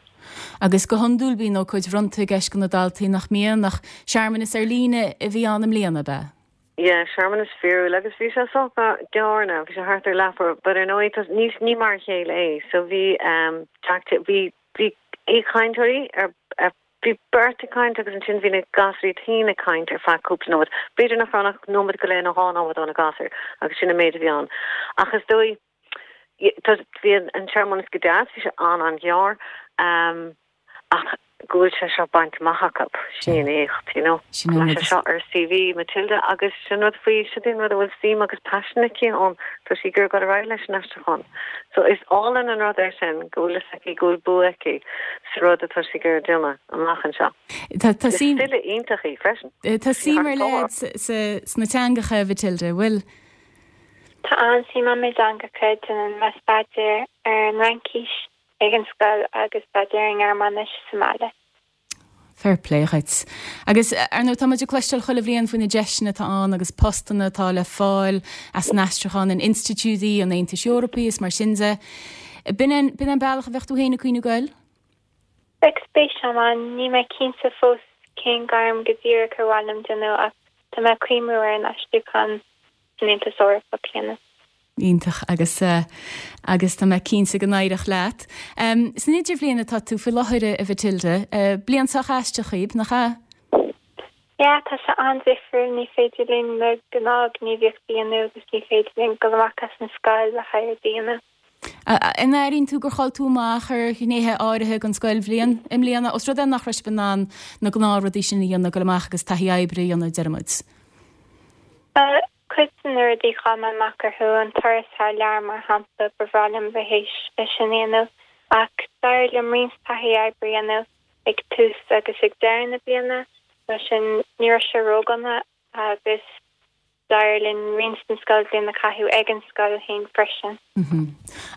[SPEAKER 1] Agus go hiondúil bíonn ócáid bhronnta i gceist do na daltaí nach mbíonn ach searmanas ar líne a bhí ann i mbliana, ab ea?
[SPEAKER 6] Yeah, searmanas fíorúil agus bhí sé sách gearr now, bhí sé thart ar leathuair, but ar ndóigh tá, ní, ní mar a chéile é. So bhí um, Jack, bhí, bhí aoichainteoirí ar, ar Bhí beirt ag caint agus ansin bhí na gasúir iad féin ag caint ar feadh cúpla nóiméad. B'fhéidir nach raibh ach nóiméad go leith nó dhá nóiméad ó na gasúir agus sin an méid a bhí ann. Ach is dóigh, bhí an searmanas go deas, bhí sé an-an-ghearr ach go bhfuil sé seo bainte amach acu, sin í an éacht, you know. Go mbeidh sé seo ar CV Matilda agus sin rud faoi, sin é an rud a bhfuil suim agus paisean aici ann, tá sí ag iarraidh dul ar aghaidh leis an aistriúchán. So is álainn an rud é sin go bhfuil fhios aici go bhfuil bua aici sa rud atá sí ag iarraidh déanamh amach anseo.
[SPEAKER 1] Tá
[SPEAKER 6] Is file iontach í freisin.
[SPEAKER 1] Tá suim ar leith sna teangacha, a Mhatilda, an bhfuil?
[SPEAKER 5] Tá an-suim agam i dteangacha, déanann mé staidéar ar an Fhraincis ag an scoil agus staidéar ar an nGearmáinis sa mbaile.
[SPEAKER 1] Fair play dhuit. Agus, ar ndóigh, tá muid ag cloisteáil chuile bhliain faoi na deiseanna atá ann agus postanna atá le fáil as an aistriúchán in institiúidí an Aontais Eorpaigh is mar sin de. B'in é, b'in é an bealach a bheadh tú féin ag cuimhniú goil?
[SPEAKER 5] Bheadh spéis agam ann. Níl mé cinnte fós cén gairm go díreach ar mhaith liom déanamh ach tá mé ag cuimhniú ar an aistriúchán san Aontas Eorpach a dhéanamh.
[SPEAKER 1] Iontach agus agus tá mé cinnte go n-éireoidh leat. San idirbhliain atá tú faoi láthair a Mhatilda. Bliain sách aisteach dhaoib, nach ea?
[SPEAKER 5] Yeah, tá sé an-difriúil, ní féidir linn na gnáthghníomhaíochtaí a dhéanamh agus ní féidir linn dul amach as an scoil le haghaidh rudaí a dhéanamh.
[SPEAKER 1] An airíonn tú gur chaill tú amach ar ghnéithe áirithe den scoilbhliain i mbliana, os rud é nach raibh sibh in ann na gnáthrudaí sin a dhéanamh, dul amach agus taithí oibre a dhéanamh, deir muid?
[SPEAKER 5] Cuid de na rudaí chaill mé amach orthu, an turas thar lear mar shampla, ba bhreá liom bheith théis é sin a dhéanamh. Ach d'éirigh liom roinnt taithí oibre a dhéanamh ag tús agus ag deireadh na bliana, mar sin ní raibh sé ródhona agus d'éirigh linn roinnt den scoilbhliain a chaitheamh ag an scoil féin freisin.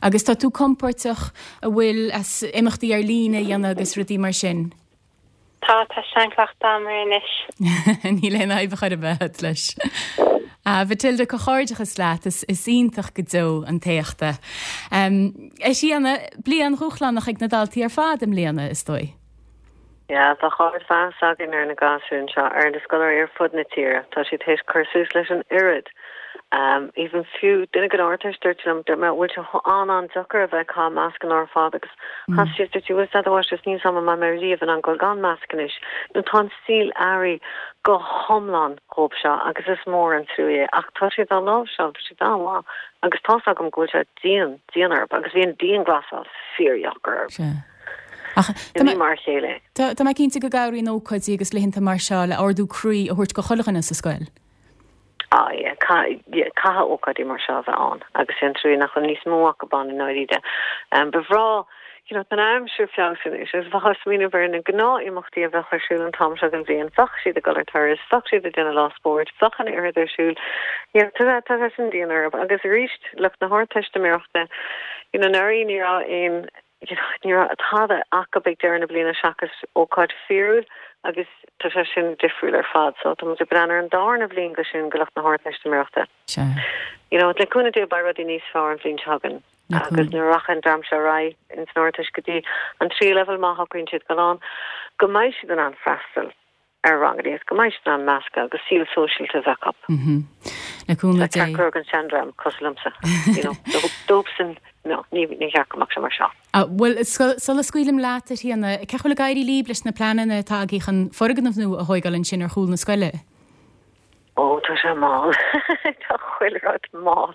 [SPEAKER 1] Agus tá tú compordach an bhfuil as imeachtaí ar líne a dhéanamh agus rudaí mar sin?
[SPEAKER 5] Tá, tá seanchleachtadh agam air anois.
[SPEAKER 1] Níl aon fhadhb chor ar bith agat leis. A Mhatilda, comhghairdeachas leat, is iontach go deo an t-éacht é. A Thríona, bliain dhúshlánach ag na daltaí ar fad i mbliana, is dóigh.
[SPEAKER 6] Yeah, tá ardmheas againn ar na gasúir anseo, ar na scoláirí ar fud na tíre. Tá siad théis cur suas leis an oiread. Even fiú duine den Ardteist dúirt liom, dúirt mé, bhfuil sé an-an-deacair a bheith ag caitheamh mascanna ar fad agus chas sí is dúirt sí, bhfuil fhios agat a mháistreás, níl 's a'm an mbeidh mé riamh in ann dul gan masc anois. Nó tá an saol athraithe go hiomlán dhóibh seo agus is mór an trua é ach tá siad á láimhseáil, tá siad an-mhaith agus tá's agam go bhfuil sé dian, dian orthu agus bhí an dianghlasáil fíordheacair orthu.
[SPEAKER 1] Sea. Ach tá
[SPEAKER 6] mé, Ní mar a chéile
[SPEAKER 1] é. Tá mé cinnte go gcabhraíonn ócáidí agus laethanta mar seo le ardú croí a thabhairt go chuile dhuine sa scoil.
[SPEAKER 6] Ah yeah, caithfidh ócáidí mar seo a bheith ann agus sé an trua nach bhfuil níos mó acu ann i ndáiríre. Ba bhreá, you know, tá an aimsir ag feabhsú anois agus bheifeá ag smaoineamh ar na gnáth-imeachtaí a bheadh ar siúl an t-am seo den bhliain, bheadh siad ag dul ar turas, bheadh siad ag déanamh lá spóirt, bheadh an oiread ar siúl. You know, tá tá sé sin dian orthu agus arís lucht na hArdteistiméireachta, you know, anuraidh ní raibh aon Ní raibh tada acu ag deireadh na bliana seachas ócáid fíorúil agus tá sé sin difriúil ar fad. So tá muid ag breathnú ar an darna bhliain go sin go lucht na hArdteistiméireachta.
[SPEAKER 1] Sea.
[SPEAKER 6] You know, le cúnamh Dé beidh rudaí níos fearr an bhliain seo chugainn agus nuair a rachaidh an dream seo ar aghaidh ins an Ardteist go dtí an tríú leibhéal má shocraíonn siad dul ann, go mbeidh siad in ann freastal ar ranganna agus go mbeidh siad in ann meascadh agus saol sóisialta a bheith acu.
[SPEAKER 1] Le cúnamh Dé.
[SPEAKER 6] Ceart go leor don seandream cosúil liomsa, you know, dóibhsean, no, ní ní cheart go mbeadh sé mar seo.
[SPEAKER 1] Bhuel, sula scaoilim leat, a Thríona, cén chaoi a bhfuil ag éirí libh leis na pleananna atá agaibh chun foirgneamh nua a thóigeáil ansin ar chúl na scoile?
[SPEAKER 6] Ó, tá sé mall. Tá chuile rud mall.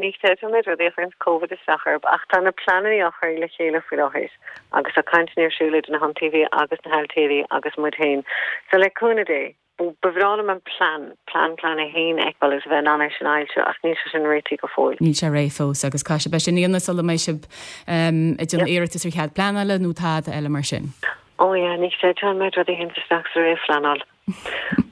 [SPEAKER 6] ní chreidfeá an méid rudaí a chuireanns Covid isteach orb ach tá na pleananna á chur le chéile faoi láthair agus tá cainteanna ar siúl idir na hiontaobhaithe agus na hailtírí agus muid féin. So le cúnamh Dé, ba bhreá liom an plean, plean, plean a haon a fheiceáil agus a bheith in ann é sin a fhoilsiú ach níl sé sin réitithe go fóill.
[SPEAKER 1] Níl sé réidh fós agus caithfidh sibh é sin a dhéanamh sula mbeidh sibh ag déanamh iarratas ar chead pleanála nó tada eile mar sin.
[SPEAKER 6] Ó yeah, ní chreidfeá an méid rudaí a théanns isteach sa réamhphleanáil.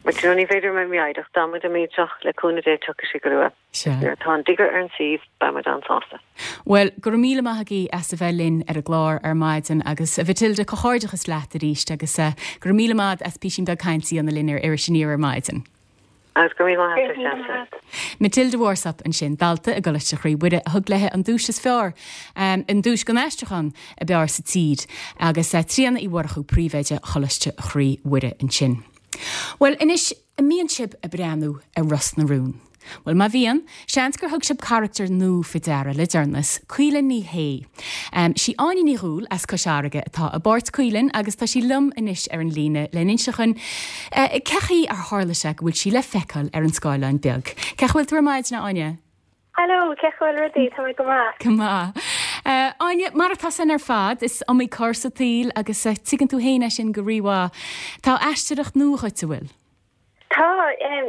[SPEAKER 6] But you know, ní féidir a bheith mífhoighdeach, tá muid an méid seo, le cúnamh Dé tiocfaidh sé go luath.
[SPEAKER 1] Sea.
[SPEAKER 6] Nuair atá an digger ar an suíomh, beidh muid an-sásta.
[SPEAKER 1] Bhuel, go raibh míle maith agaibh as a bheith linn ar an gclár ar maidin agus a Mhatilda, comhghairdeachas leat arís agus go raibh míle maith as písín beag cainte a dhéanamh linn ar Iris Aniar ar maidin.
[SPEAKER 6] Agus go raibh míle maith agat a Threasa.
[SPEAKER 1] Matilda Warsop ansin, dalta i gColáiste Chroí Mhuire a thug léi an duais is fearr, an duais don aistriúchán ab fhearr sa tír, agus Tríona Uí Mhurchú, Príomhoide Choláiste Chroí Mhuire ansin. Bhuel, anois, an mbíonn sibh ag breathnú ar Ros na Rún? Bhuel, má bhíonn, seans gur thug sibh carachtar nua faoi deara le deireanas, Caoilinn Ní Shé. Sí Áine Ní Dhúill as Cois Fharraige atá i bpáirt Caoilinn agus tá sí liom anois ar an líne le n-inse dhuinn cé chaoi ar tharla sé go bhfuil sí le feiceáil ar an scáileán beag. Cén chaoi a bhfuil tú ar maidin, a Áine?
[SPEAKER 5] Hello, cén chaoi a bhfuil rudaí? Tá mé go maith.
[SPEAKER 1] Go maith. Áine, mar atá san ar fad, is iomaí cor sa tsaol agus tuigeann tú féin é sin go rímhaith. Tá aisteoireacht nua dhuit, an bhfuil?
[SPEAKER 5] Tá,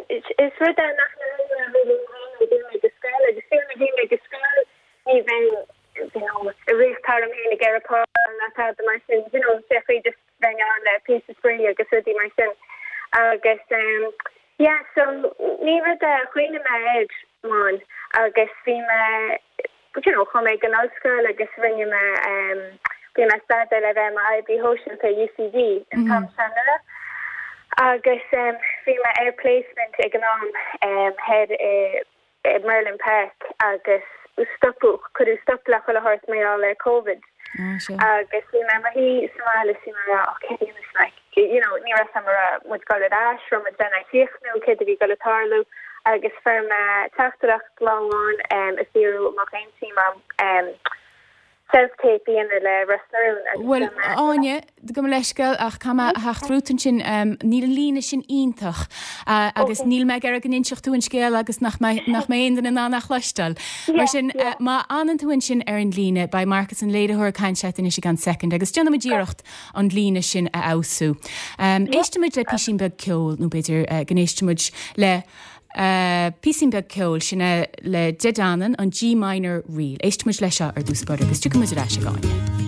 [SPEAKER 5] is rud é nach ndearna mé really nuair a bhí mé ag scoil agus fiú nuair a bhí mé ag scoil ní bheinn you know ag rith thar am féin ag iarraidh páirt ná tada mar sin you know sé chaoi just bheinn ann le píosa spraoi agus rudaí mar sin agus yeah so ní rud é a chuimhnigh mé air man agus bhí mé you know, chuaigh mé ag an ollscoil agus rinne mé, bhí mé ag staidéar le bheith i m'oibrí shóisialta i UCD an t-am sin anuraidh agus bhí mé ar placement ag an am thoir i Merlin Park agus stopadh, cuireadh stop le chuile shórt mar gheall ar Covid agus bhí mé i mo shuí sa mbaile is bhí mé ag rá oh céard a dhéanfas mé, you know, ní raibh a fhios agam an raibh muid ag dul ar ais, raibh muid lena chríochnú, céard a bhí ag dul ag tarlú agus fuair mé teachtaireacht lá amháin ag fiafraí an mbeadh aon suim agam self-tape a dhéanamh le Ros na Rún
[SPEAKER 1] agus Bhuel, a Áine, gabh mo leithscéal ach caithfidh mé a theacht romhat ansin, níl an líne sin iontach agus níl mé ag iarraidh go n-inseodh tú an scéal agus nach mbeidh nach mbeidh aon duine in ann é a chloisteáil. Mar sin, má fhanann tú ansin ar an líne, beidh Marcus an léiritheoir ag caint leat anois i gceann soicind agus déanfaimid iarracht an líne sin a fheabhsú. Éistfimid le písín beag ceoil nó b'fhéidir go n-éistfimid le Píosín beag ceoil, sin é le De Danann, an G Minor Reel. Éistfimid leis seo ar dtús báire agus tiocfaidh muid ar ais ag Áine.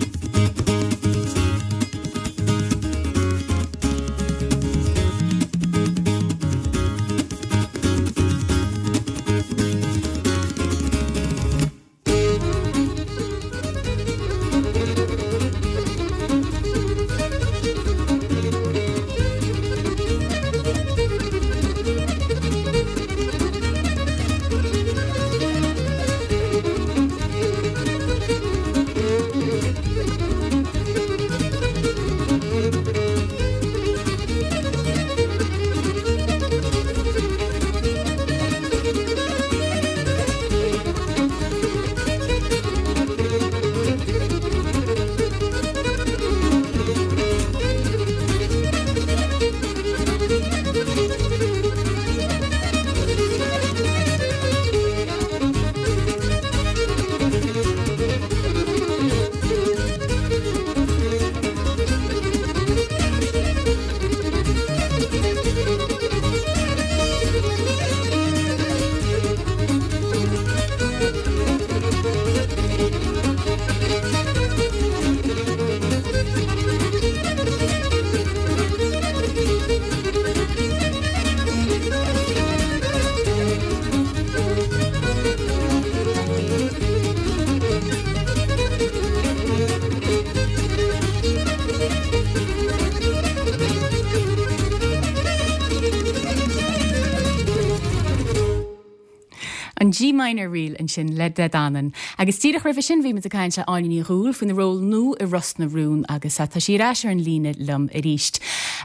[SPEAKER 1] An G Minor Reel ansin le De Danann. Agus díreach roimhe sin bhí muid ag caint le Áine Ní Dhúill faoina ról nua i Ros na Rún agus tá sí ar ais ar an líne liom arís.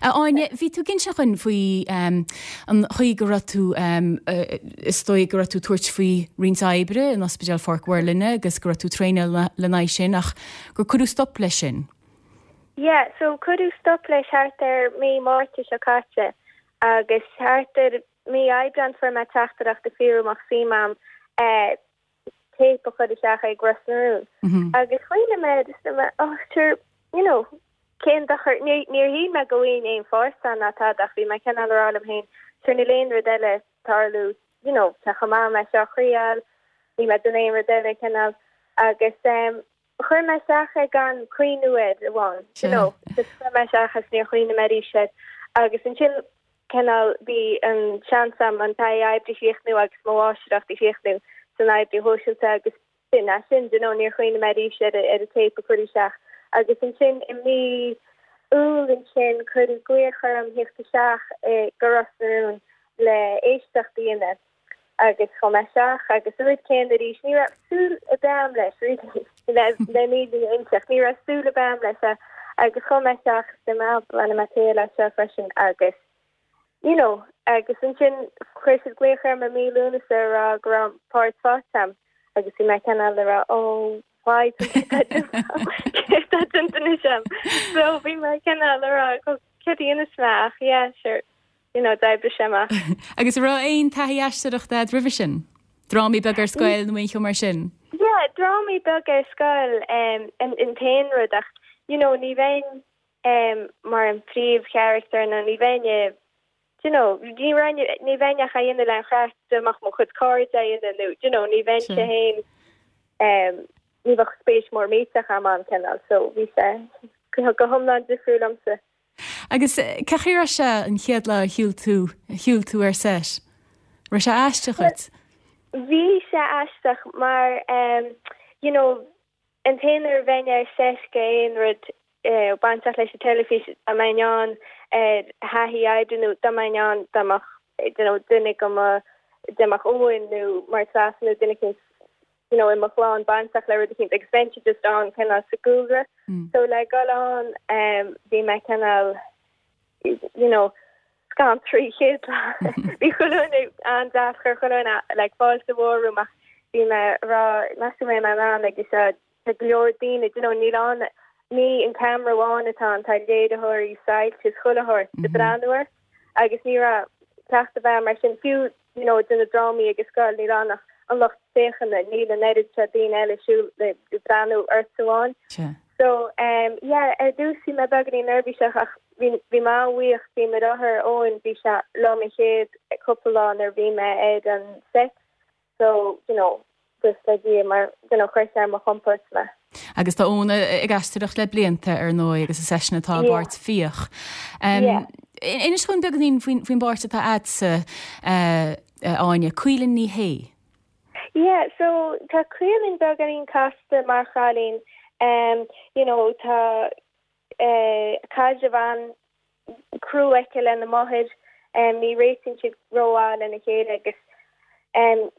[SPEAKER 1] A Áine, bhí tú ag inse dhúinn faoi an chaoi go raibh tú, is dóigh go raibh tú ag tabhairt faoi roinnt oibre in Ospidéal Pháirc Mhuirlinne agus go raibh tú ag traenáil lena aghaidh sin ach gur cuireadh stop leis sin.
[SPEAKER 5] Yeah, so cuireadh stop leis thart ar mí Márta seo caite agus thart ar mí Aibreán fuair mé teachtaireacht ag fiafraí an mbeadh suim a'm eh. téip a chur isteach ag Ros na Rún. Agus chuimhnigh mé air is dúirt mé, oh sure, you know, cén dochar, níor shíl mé go bhfaighinn aon pháirt ann ná tada ach bhí mé cineál a rá liom féin, sure níl aon rud eile ag tarlú, you know, tá chomh maith mé seo a thriail, níl mé ag déanamh aon rud eile cineál. Agus em chuir mé isteach é gan cuimhniú air amháin, you know, just chuir mé isteach agus níor chuimhnigh mé arís air. Agus ansin cineál bhí an seans a'm an taithí oibre a chríochnú agus mo mháistreacht a chríochnú san oibriú shóisialta agus b'in é sin, you know, níor chuimhnigh mé arís ar ar an téip a chur isteach. Agus ansin i mí Iúil ansin cuireadh glaoch orm theacht isteach go Ros na Rún le éisteacht a dhéanamh agus chuaigh mé isteach agus an rud céanna arís, ní raibh súil ar bith a'm leis really, le le an fhírinne a inseacht, ní raibh súil ar bith a'm leis agus chuaigh mé isteach is dúirt mé ah bainfidh mé triail as seo freisin agus you know agus ansin chuir siad glaoch orm i mí Lúnasa a rá go raibh páirt faighte a'm agus bhí mé cineál a rá oh why céard atá déanta anois a'm so bhí mé cineál a rá céard a dhéanfas mé ach yeah sure you know, d'oibrigh sé amach.
[SPEAKER 1] Agus an raibh aon taithí aisteoireachta a'd roimhe sin? Drámaí beaga ar scoil nó aon cheo mar sin?
[SPEAKER 5] Yeah, drámaí beaga ar scoil um, an, an t-aon rud ach, you know, ní bheinn um, mar an phríomhcharachtar nó ní bheinn i, you know, ní bheinn, ní bheinn ach á dhéanamh le an chraic dá mbeadh mo chuid cairde á dhéanamh nó, you know, ní bheinnse féin um, ní bheadh spéis mór millteach a'm ann cineál, so bhí sé go hiomlán difriúil liomsa.
[SPEAKER 1] Agus cén chaoi a raibh sé an chéad lá a shiúil tú, a shiúil tú ar set? Raibh sé aisteach dhuit?
[SPEAKER 5] Bhí sé aisteach mar you know an t-aon uair a bheinn ar set go aon rud bainteach leis an teilifís dá mbeinn ann ar thaithí oibre nó dá mbeinn ann dá mbeadh you know duine go mo dá mbeadh Eoin nó mar Treasa nó duine eicínt you know, i mo chlann bainteach le rud eicínt agus bheinnse just ann cineál sa gcúlra. So le dhul ann um, bhí mé cineál you know, scanraithe an chéad lá. Bhí chuile dhuine an-deas, chuir chuile dhuine like, fáilte mhór romham ach bhí mé ag rá meas tú an mbeidh mé in ann agus uh, tá go leor daoine, you know, níl ann ní an camera amháin atá ann, tá léiritheoirí, soilse is chuile shórt ag breathnú ort agus ní raibh cleachtadh ar bith a'm mar sin fiú you know, de na drámaí ag an scoil, níl ann ach an lucht féachana, níl an oiread seo daoine eile siúl ag breathnú ort amháin. So, um, yeah, ar dtús bhí mé beagáinín neirbhíseach ach bhí, bhí mé an-bhuíoch, bhí mo dheartháir Eoin, bhí sé liom an chéad cúpla lá nuair a bhí mé ar an set, so, you know, buíochas le Dia mar, you know, chuir sé ar mo chompord mé.
[SPEAKER 1] Agus tá Eoin ag aisteoireacht le blianta, ar ndóigh, agus is eisean atá i bpáirt Fiach. Inis dúinn beagáinín faoin bpáirt atá a'dsa, a Áine, Caoilinn Ní Shé.
[SPEAKER 5] Yeah, so tá Caoilinn beagáinín casta mar chailín. You know, tá caidreamh an-chrua aici lena máthair. Ní réitíonn siad rómhaith lena chéile agus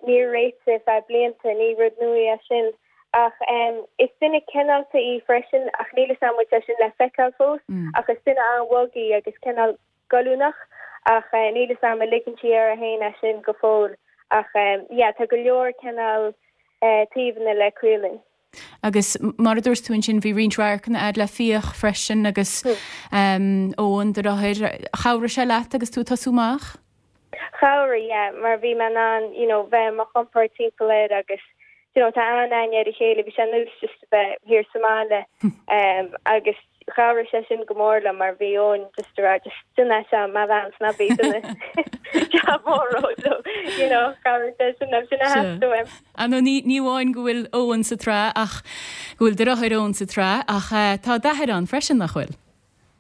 [SPEAKER 5] níor réitigh ar feadh blianta, ní rud nua é sin. Ach is duine cineálta í freisin ach níl 'fhios a'm an bhfuil sé sin le feiceáil fós ach is duine an-bhog í agus cineál goilliúnach ach níl 'fhios a'm an ligeann sí uirthi féin é sin go fóill ach yeah tá go leor cineál taobhanna le Caoilinn.
[SPEAKER 1] Agus mar a dúirt tú ansin, bhí roinnt radharcanna a'd le Fiach freisin agus Eoin, do dheartháir. Chabhraigh sé leat agus tú ag tosú amach?
[SPEAKER 5] Chabhraigh, yeah, mar bhí mé in ann, you know, bheith ar mo chompord timpeall air agus, you know, tá an-aithne ar a chéile, bhí sé ar nós just a bheith thiar sa mbaile agus chabhraigh sé sin go mór liom mar bhí Eoin just ag rá just déan é seo mo bhean 's ná bí ag déanamh jab mór so, you know, chabhraigh sé sin liom, sin a theastaigh uaim.
[SPEAKER 1] Ah no, ní ní amháin go bhfuil Eoin sa tsraith ach go bhfuil do dheartháir Eoin sa tsraith ach tá d'athair ann freisin, nach bhfuil?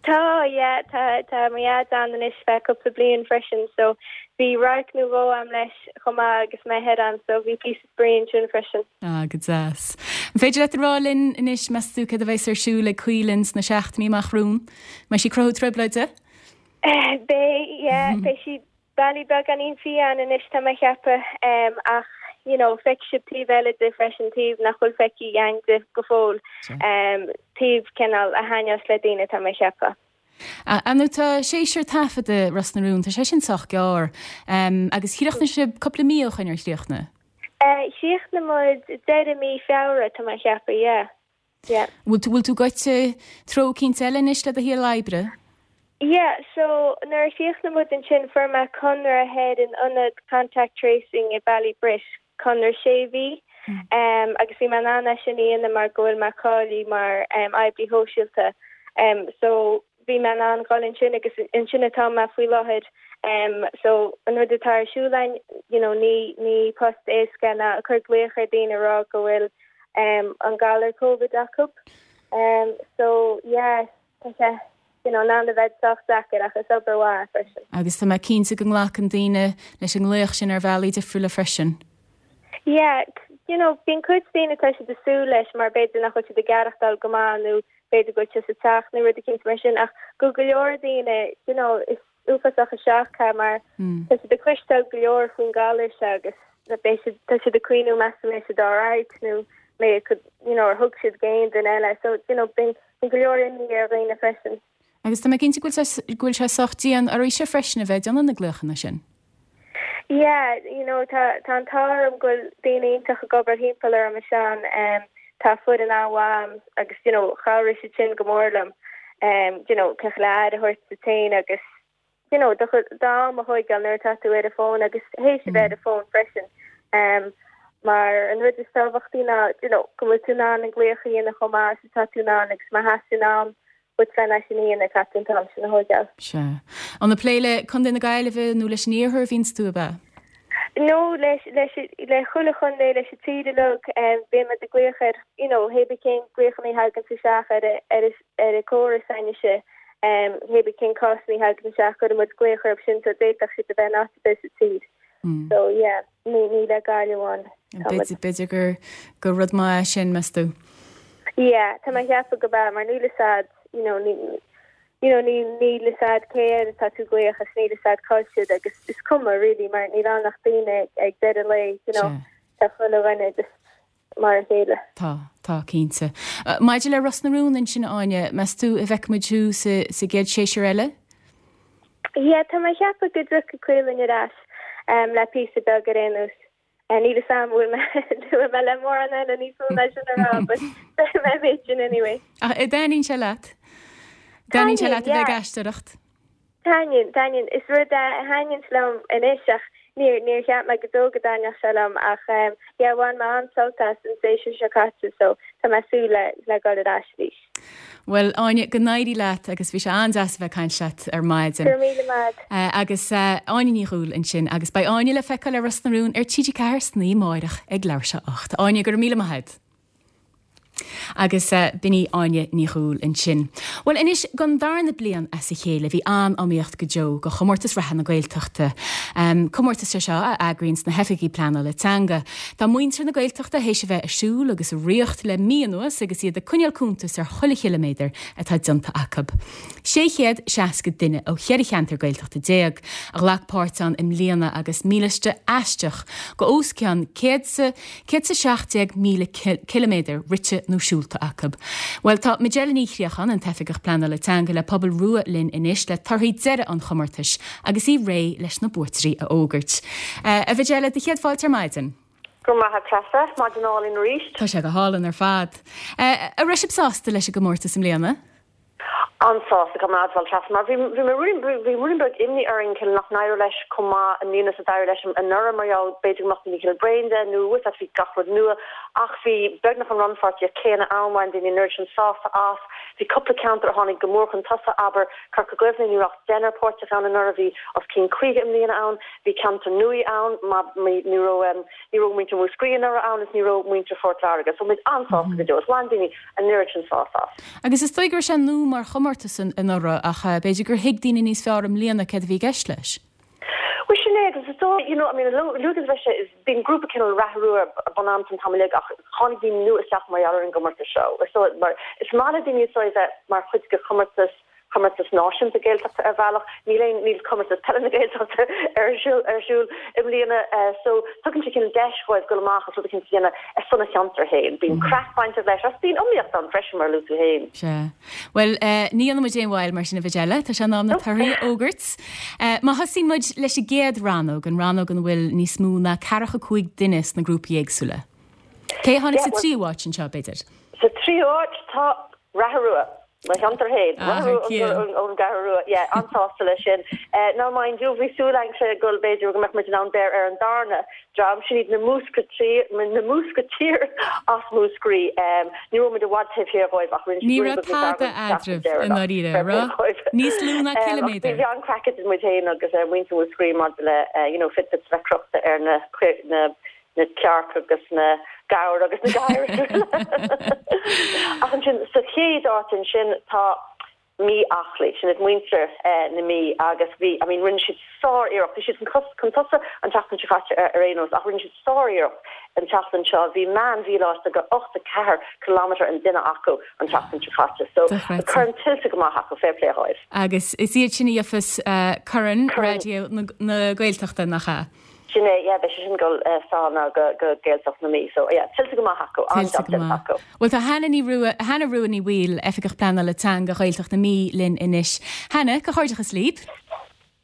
[SPEAKER 5] Tá, yeah, tá, tá mo dhaid ann anois feadh cúpla bliain freisin so bhí radharc nó dhó a'm leis chomh maith agus mé thoir ann so bhí píosa spraoi ansin freisin.
[SPEAKER 1] Ah, go deas. An féidir leat a rá linn anois, meas tú, céard a bheas ar siúl ag Caoilinn sna seachtainí amach romhainn? Mbeidh sí ag cruthú trioblóide?
[SPEAKER 5] Beidh, yeah, beidh sí Bealaí beagáinín fiáin anois tá mé a cheapadh ach you know feicfidh sibh taobh eile di freisin, taobh nach bhfuil feicthe againn di go fóill, taobh cineál a thaitneos le daoine tá mé a cheapadh.
[SPEAKER 1] Ar ndóigh tá séasúr taifeadta Ros na Rún, tá sé sin sách gearr agus chríochnaigh sibh cúpla mí ó shoin ar chríochnaigh?
[SPEAKER 5] Chríochnaigh muid deireadh mí Feabhra tá mé a cheapadh, yeah.
[SPEAKER 1] Yeah. Bhfuil tú, bhfuil tú gaibhte treo eicínt eile anois le do shaol oibre?
[SPEAKER 5] Yeah, so nuair a chríochnaigh muid ansin fuair mé conradh thoir in ionad contact tracing i Ballybrit, conradh sé mhí. Agus bhí mé in ann é sin a dhéanamh mar go bhfuil mé cáilithe mar oibrí shóisialta. So bhí mé in ann dhul ansin agus ansin atá mé faoi láthair. So an rud atá ar siúl againn, you know, ní ní post éasca ná ag cur glaoch ar daoine a rá go bhfuil an galar Covid acu. So yeah, tá sé you know, in ann a bheith sách deacair ach is obair mhaith é freisin.
[SPEAKER 1] Agus tá mé cinnte go nglacann daoine leis an nglaoch sin ar bhealaí difriúla freisin.
[SPEAKER 5] Yeah, you know, bíonn cuid daoine tá siad ag súil leis mar b'fhéidir nach bhfuil siad ag aireachtáil go maith nó b'fhéidir go bhfuil siad sa teach nó rud eicínt mar sin ach go go leor daoine, you know, is uafásach an shock é mar tá siad ag cloisteáil go leor faoin galar seo agus beidh siad, tá siad ag cuimhniú meas tú mbeidh siad alright nó mbeidh, you know, ar thug siad go aon duine eile so, you know, bíonn go leor imní ar dhaoine freisin.
[SPEAKER 1] Agus tá mé cinnte go bhfuil sé sách dian oraibhse freisin a bheith ag déanamh na glaochanna sin.
[SPEAKER 5] Yeah, you know, tá tá an t-ádh orm go bhfuil daoine iontach ag obair thimpeall orm ansin, tá foireann an-mhaith agam agus, you know, chabhraigh siad sin go mór liom, you know, cé le aire a thabhairt duit féin agus, you know, do d'am a thóigeáil nuair atá tú ar an bhfón agus théis a bheith ar an bhfón freisin. Mar an rud is tábhachtaí ná, you know, go bhfuil tú in ann an glaoch a dhéanamh chomh maith is atá tú in ann agus má theastaíonn am uait len é sin a dhéanamh caithfidh tú an t-am sin a thóigeáil.
[SPEAKER 1] Sea. An ag plé le Contae na Gaillimhe nó leis an Iarthar a bhíonns tú, ab ea?
[SPEAKER 5] No, leis, leis, le chuile chontae, leis an tír uilig, bíonn muid ag glaoch ar, you know, hé bith cén glaochanna a thaganns isteach ar, ar, ar an córas s'againnse, hé bith cén cásanna a thagann isteach, cuireann muid glaoch orthu sin so d'fhéadfadh siad a bheith in áit ar bith sa tír. So, yeah, ní, ní le Gaillimh amháin.
[SPEAKER 1] B'fhéidir, b'fhéidir gur, gur rud maith é sin, meas tú?
[SPEAKER 5] Yeah, tá mé ag ceapadh go b'ea, mar níl fhios a'd, you know, ní, you know, ní, níl fhios a'd cé air atá tú ag glaoch agus níl fhios a'd cá bhfuil siad agus is cuma really mar níl ann ach daoine ag deireadh an lae, you know, tá chuile dhuine just mar a chéile.
[SPEAKER 1] Tá, tá, cinnte. Maidir le Ros na Rún ansin, a Áine, meas tú an bhfeicfidh muid thú sa, sa gcéad séasúr eile?
[SPEAKER 5] Yeah, tá mé ag ceapadh go dtiocfaidh Caoilinn ar ais le píosa beag ar aon nós. Níl fhios a'm an bhfuil mé bhfuil mé le mórán eile níos mó ná sin a rá but beidh mé an méid sin anyway.
[SPEAKER 1] Ach an dtaitníonn sé leat? Dtaitníonn sé leat a bheith ag aisteoireacht?
[SPEAKER 5] Taitníonn, taitníonn. Is rud é a thaitníonns liom anois ach níor, níor cheap mé go deo go dtaitneodh sé liom ach yeah bhain mé an-sult as an séasúr seo caite so tá mé ag súil le, le dul ar ais arís.
[SPEAKER 1] Bhuel, Áine, go n-éirí leat agus bhí sé an-deas a bheith ag caint leat ar maidin.
[SPEAKER 5] Go raibh míle maith.
[SPEAKER 1] Agus Áine Ní Dhúill ansin agus beidh Áine le feiceáil ar Ros na Rún ar TG4 san oíche amáireach ag leathuair tar éis a 8. Áine, go raibh míle maith agat. Agus b'in í Áine Ní Dhúill ansin. Bhuel anois, don darna bliain as a chéile bhí an-iomaíocht go deo do chomórtas reatha na Gaeltachta. Comórtas é seo a eagraíonns na hoifigigh pleanála teanga. Tá muintir na Gaeltachta théis a bheith ag siúl agus ag ritheacht le mí anuas agus iad ag coinneáil cuntas ar chuile chiliméadar atá déanta acu. 660 duine ó cheithre cheantar Gaeltachta a ghlac páirt ann i mbliana agus míliosta aisteach go os cionn 117,000 ciliméadar rite nó siúlta acu. Bhuel, tá Majella Ní Chríocháin, an tOifigeach Pleanála Teanga le Pobal Rua linn anois le torthaí deiridh an chomórtais agus í réidh leis na buaiteoirí a fhógairt. A Mhajella, do chéad fáilte ar maidin.
[SPEAKER 7] Go raibh maith a't Treasa, maidin álainn arís.
[SPEAKER 1] Tá sé go hálainn ar fad. An raibh sibh sásta leis an gcomórtas i mbliana?
[SPEAKER 7] An-sásta, caithfidh mé a admháil Treasa, mar bhí bhí mé ruainnín bhí ruainnín beag imní orainn cineál nach n-éireodh leis chomh maith i mbliana is a d'éirigh leis anuraidh mar gheall b'fhéidir go mbeadh daoine cineál bréan de nó bhfuil a fhios a't bhí gach rud nua ach bhí beagnach an rannpháirtíocht céanna ann bhain daoine an oiread sin sásamh as. Bhí cúpla ceantar a tháinig go mór chun tosaigh, abair Corca Dhuibhne, ní raibh ach deichniúr páirteach ann anuraidh, bhí os cionn 50 i mbliana ann, bhí ceantar nua ann, ní raibh ní raibh muintir Mhúscraí anuraidh ann is ní raibh muintir Phort Láirge, so muid an-sásta go deo is bhain daoine an oiread sin sásamh as.
[SPEAKER 1] Agus is dóigh go raibh sé nua mar chomórtas anuraidh ach b'fhéidir gur thuig daoine níos fearr i mbliana céard a bhí i gceist leis.
[SPEAKER 7] Bhuel sin é agus is dóigh, you know, I mean, luaigh is bheith sé, bíonn grúpa cineál Ráth Rua bun am san t-am uilig ach tháinig daoine nua isteach mar gheall ar an gcomórtas seo. Is dóigh, mar is maith le daoine is dóigh bheith mar chuid de chomórtas, comórtas náisiúnta Gaeltachta ar bhealach. Níl aon, níl comórtas peile na Gaeltachta ar siúl, ar siúl i mbliana so tugann sé cineál deis dhóibh dul amach agus rud eicínt a dhéanamh ar son a cheantar féin. Bíonn craic bainteach leis agus bíonn iomaíocht ann freisin mar a luaigh tú féin.
[SPEAKER 1] Sea. Bhuel, ní dhéanfaidh muid aon mhoill mar sin a Mhajella, tá sé in am na torthaí a fhógairt. Má thosaíonn muid leis an gcéad rannóg, an rannóg ina bhfuil níos mó ná ceathracha 5 duine sna grúpaí éagsúla. Cé a tháinig sa tríú háit anseo, b'fhéidir?
[SPEAKER 7] Sa tríú háit tá Ráth Rua. Mo cheantar féin. Ón gCeathrú Rua. Yeah, an-sásta leis sin. Now mind you, bhí súil againn go b'fhéidir go mbeadh muid in ann beir ar an darna dream, sin iad na Múscraí, na Múscaitír as Múscraí. Ní raibh muid i bhfad taobh thiar dhóibh ach rinne
[SPEAKER 1] Ní raibh tada eadraibh i ndáiríre, raibh? Níos lú ná ciliméadar.
[SPEAKER 7] Bhí an-craic idir muid féin agus muintir Mhúscraí maidir le, you know, Fitbits a bheith crochta ar na, na, na cearca agus na gabhair agus na gadhair. Ach ansin sa chéad áit ansin tá Mí Aclaí, sin iad muintir na Mí agus bhí, I mean rinne siad sár-iarracht, bhí siad chun tosaigh an tseachtain seo caite ar aon nós ach rinne siad sár-iarracht an tseachtain seo, bhí meán-mhíleáiste de 84 kilometre an duine acu an tseachtain seo caite so corn tuillte go maith acu, fair play dhóibh.
[SPEAKER 1] Agus is iad sin a gheofas Corn Raidió na Gaeltachta, nach ea?
[SPEAKER 7] Sin é, yeah, beidh sé sin ag dul sall now go go Gaeltacht na Mí, so yeah, tuillte go maith acu, an-jab déanta acu.
[SPEAKER 1] Bhuel tá Hannah Ní Rua, Hannah Rua Ní Bhaoill, Oifigeach Pleanála Teanga Ghaeltacht na Mí linn anois. Hannah, comhghairdeachas libh.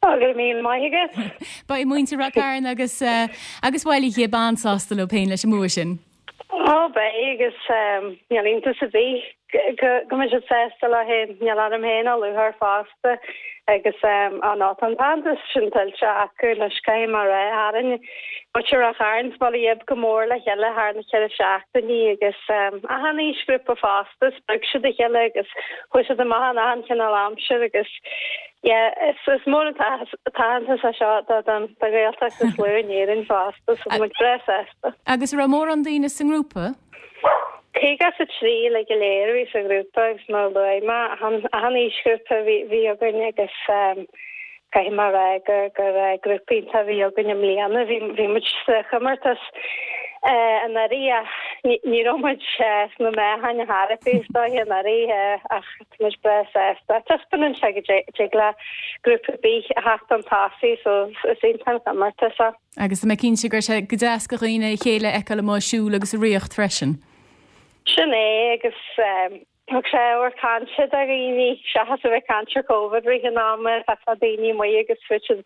[SPEAKER 8] Ó, go raibh míle maith agat.
[SPEAKER 1] Beidh muintir Ráth Cairn agus agus Bhaile Ghib an-sásta leo féin leis an mbua sin.
[SPEAKER 8] Ó, beidh, agus níl iontas ar bith go mbeidh siad sásta leo féin. Níl orm féin a lúcháir fosta agus á nó tá an t-aitheantas sin tuillte acu anois, caithfidh mé a rá. Tharraing muintir Ráth Chairn is Baile Ghib go mór le chéile thar na ceithre seachtainí agus achan aoisghrúpa fosta, spreag siad a chéile agus chuaigh siad amach in achan chineál aimsir agus Yeah, is mór an t-aitheantas é seo don Ghaeltacht is lú in Éirinn fosta, so tá muid breá sásta.
[SPEAKER 1] Agus an raibh mórán daoine sa ngrúpa?
[SPEAKER 8] 53 uilig go léir a bhí sa ghrúpa agus mar a luaigh mé, achan aoisghrúpa a bhí againn agus caithfidh mé a rá gur grúpa iontach a bhí againn i mbliana. Bhí muid sa chomórtas anuraidh ach ní raibh muid sna meáchain ar chor ar bith is dóiche anuraidh ach Tá muid breá sásta. Taispeánann sé go dtig le grúpa ar bith a theacht chun tosaigh so is iontach an comórtas é.
[SPEAKER 1] Agus tá mé cinnte go raibh sé go deas do dhaoine a chéile a fheiceáil amuigh ag siúl agus ag ritheacht freisin.
[SPEAKER 8] Sin é agus thug sé ábhar cainte do dhaoine seachas a bheith ag caint ar Covid rith an ama, bheifeá daoine amuigh agus fuair siad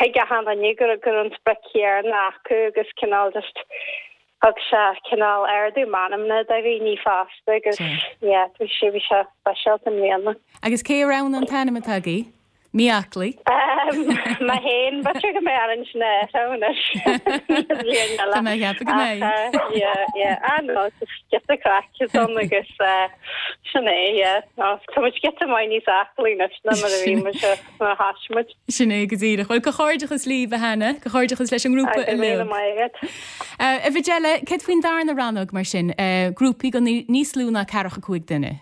[SPEAKER 8] thuig achan duine go raibh an sprioc chéanna acu agus cineál just Thug sé cineál ardú meanmna do dhaoine fosta agus yeah bhí sé bhí sé speisialta i mbliana.
[SPEAKER 1] Agus cé a roghnaigh an t-ainm atá agaibh? Mí Aclaí?
[SPEAKER 8] Mé féin, b'fhéidir go mbeidh orainn sin a athrú anois an bhliain eile.
[SPEAKER 1] Tá mé ag ceapadh go mbeidh.
[SPEAKER 8] Ach yeah yeah ah no just giota craic is ann agus sin é yeah no tá muid giota maith níos aclaí anois ná mar a bhí muid nuair a thosaigh muid.
[SPEAKER 1] Sin é go díreach. Bhuel, comhghairdeachas libh, a Hannah. Comhghairdeachas leis an ngrúpa
[SPEAKER 8] uilig. Go raibh míle maith agat.
[SPEAKER 1] A Mhajella, céard faoin darna rannóg mar sin, grúpaí de níos lú ná ceathracha 5 duine?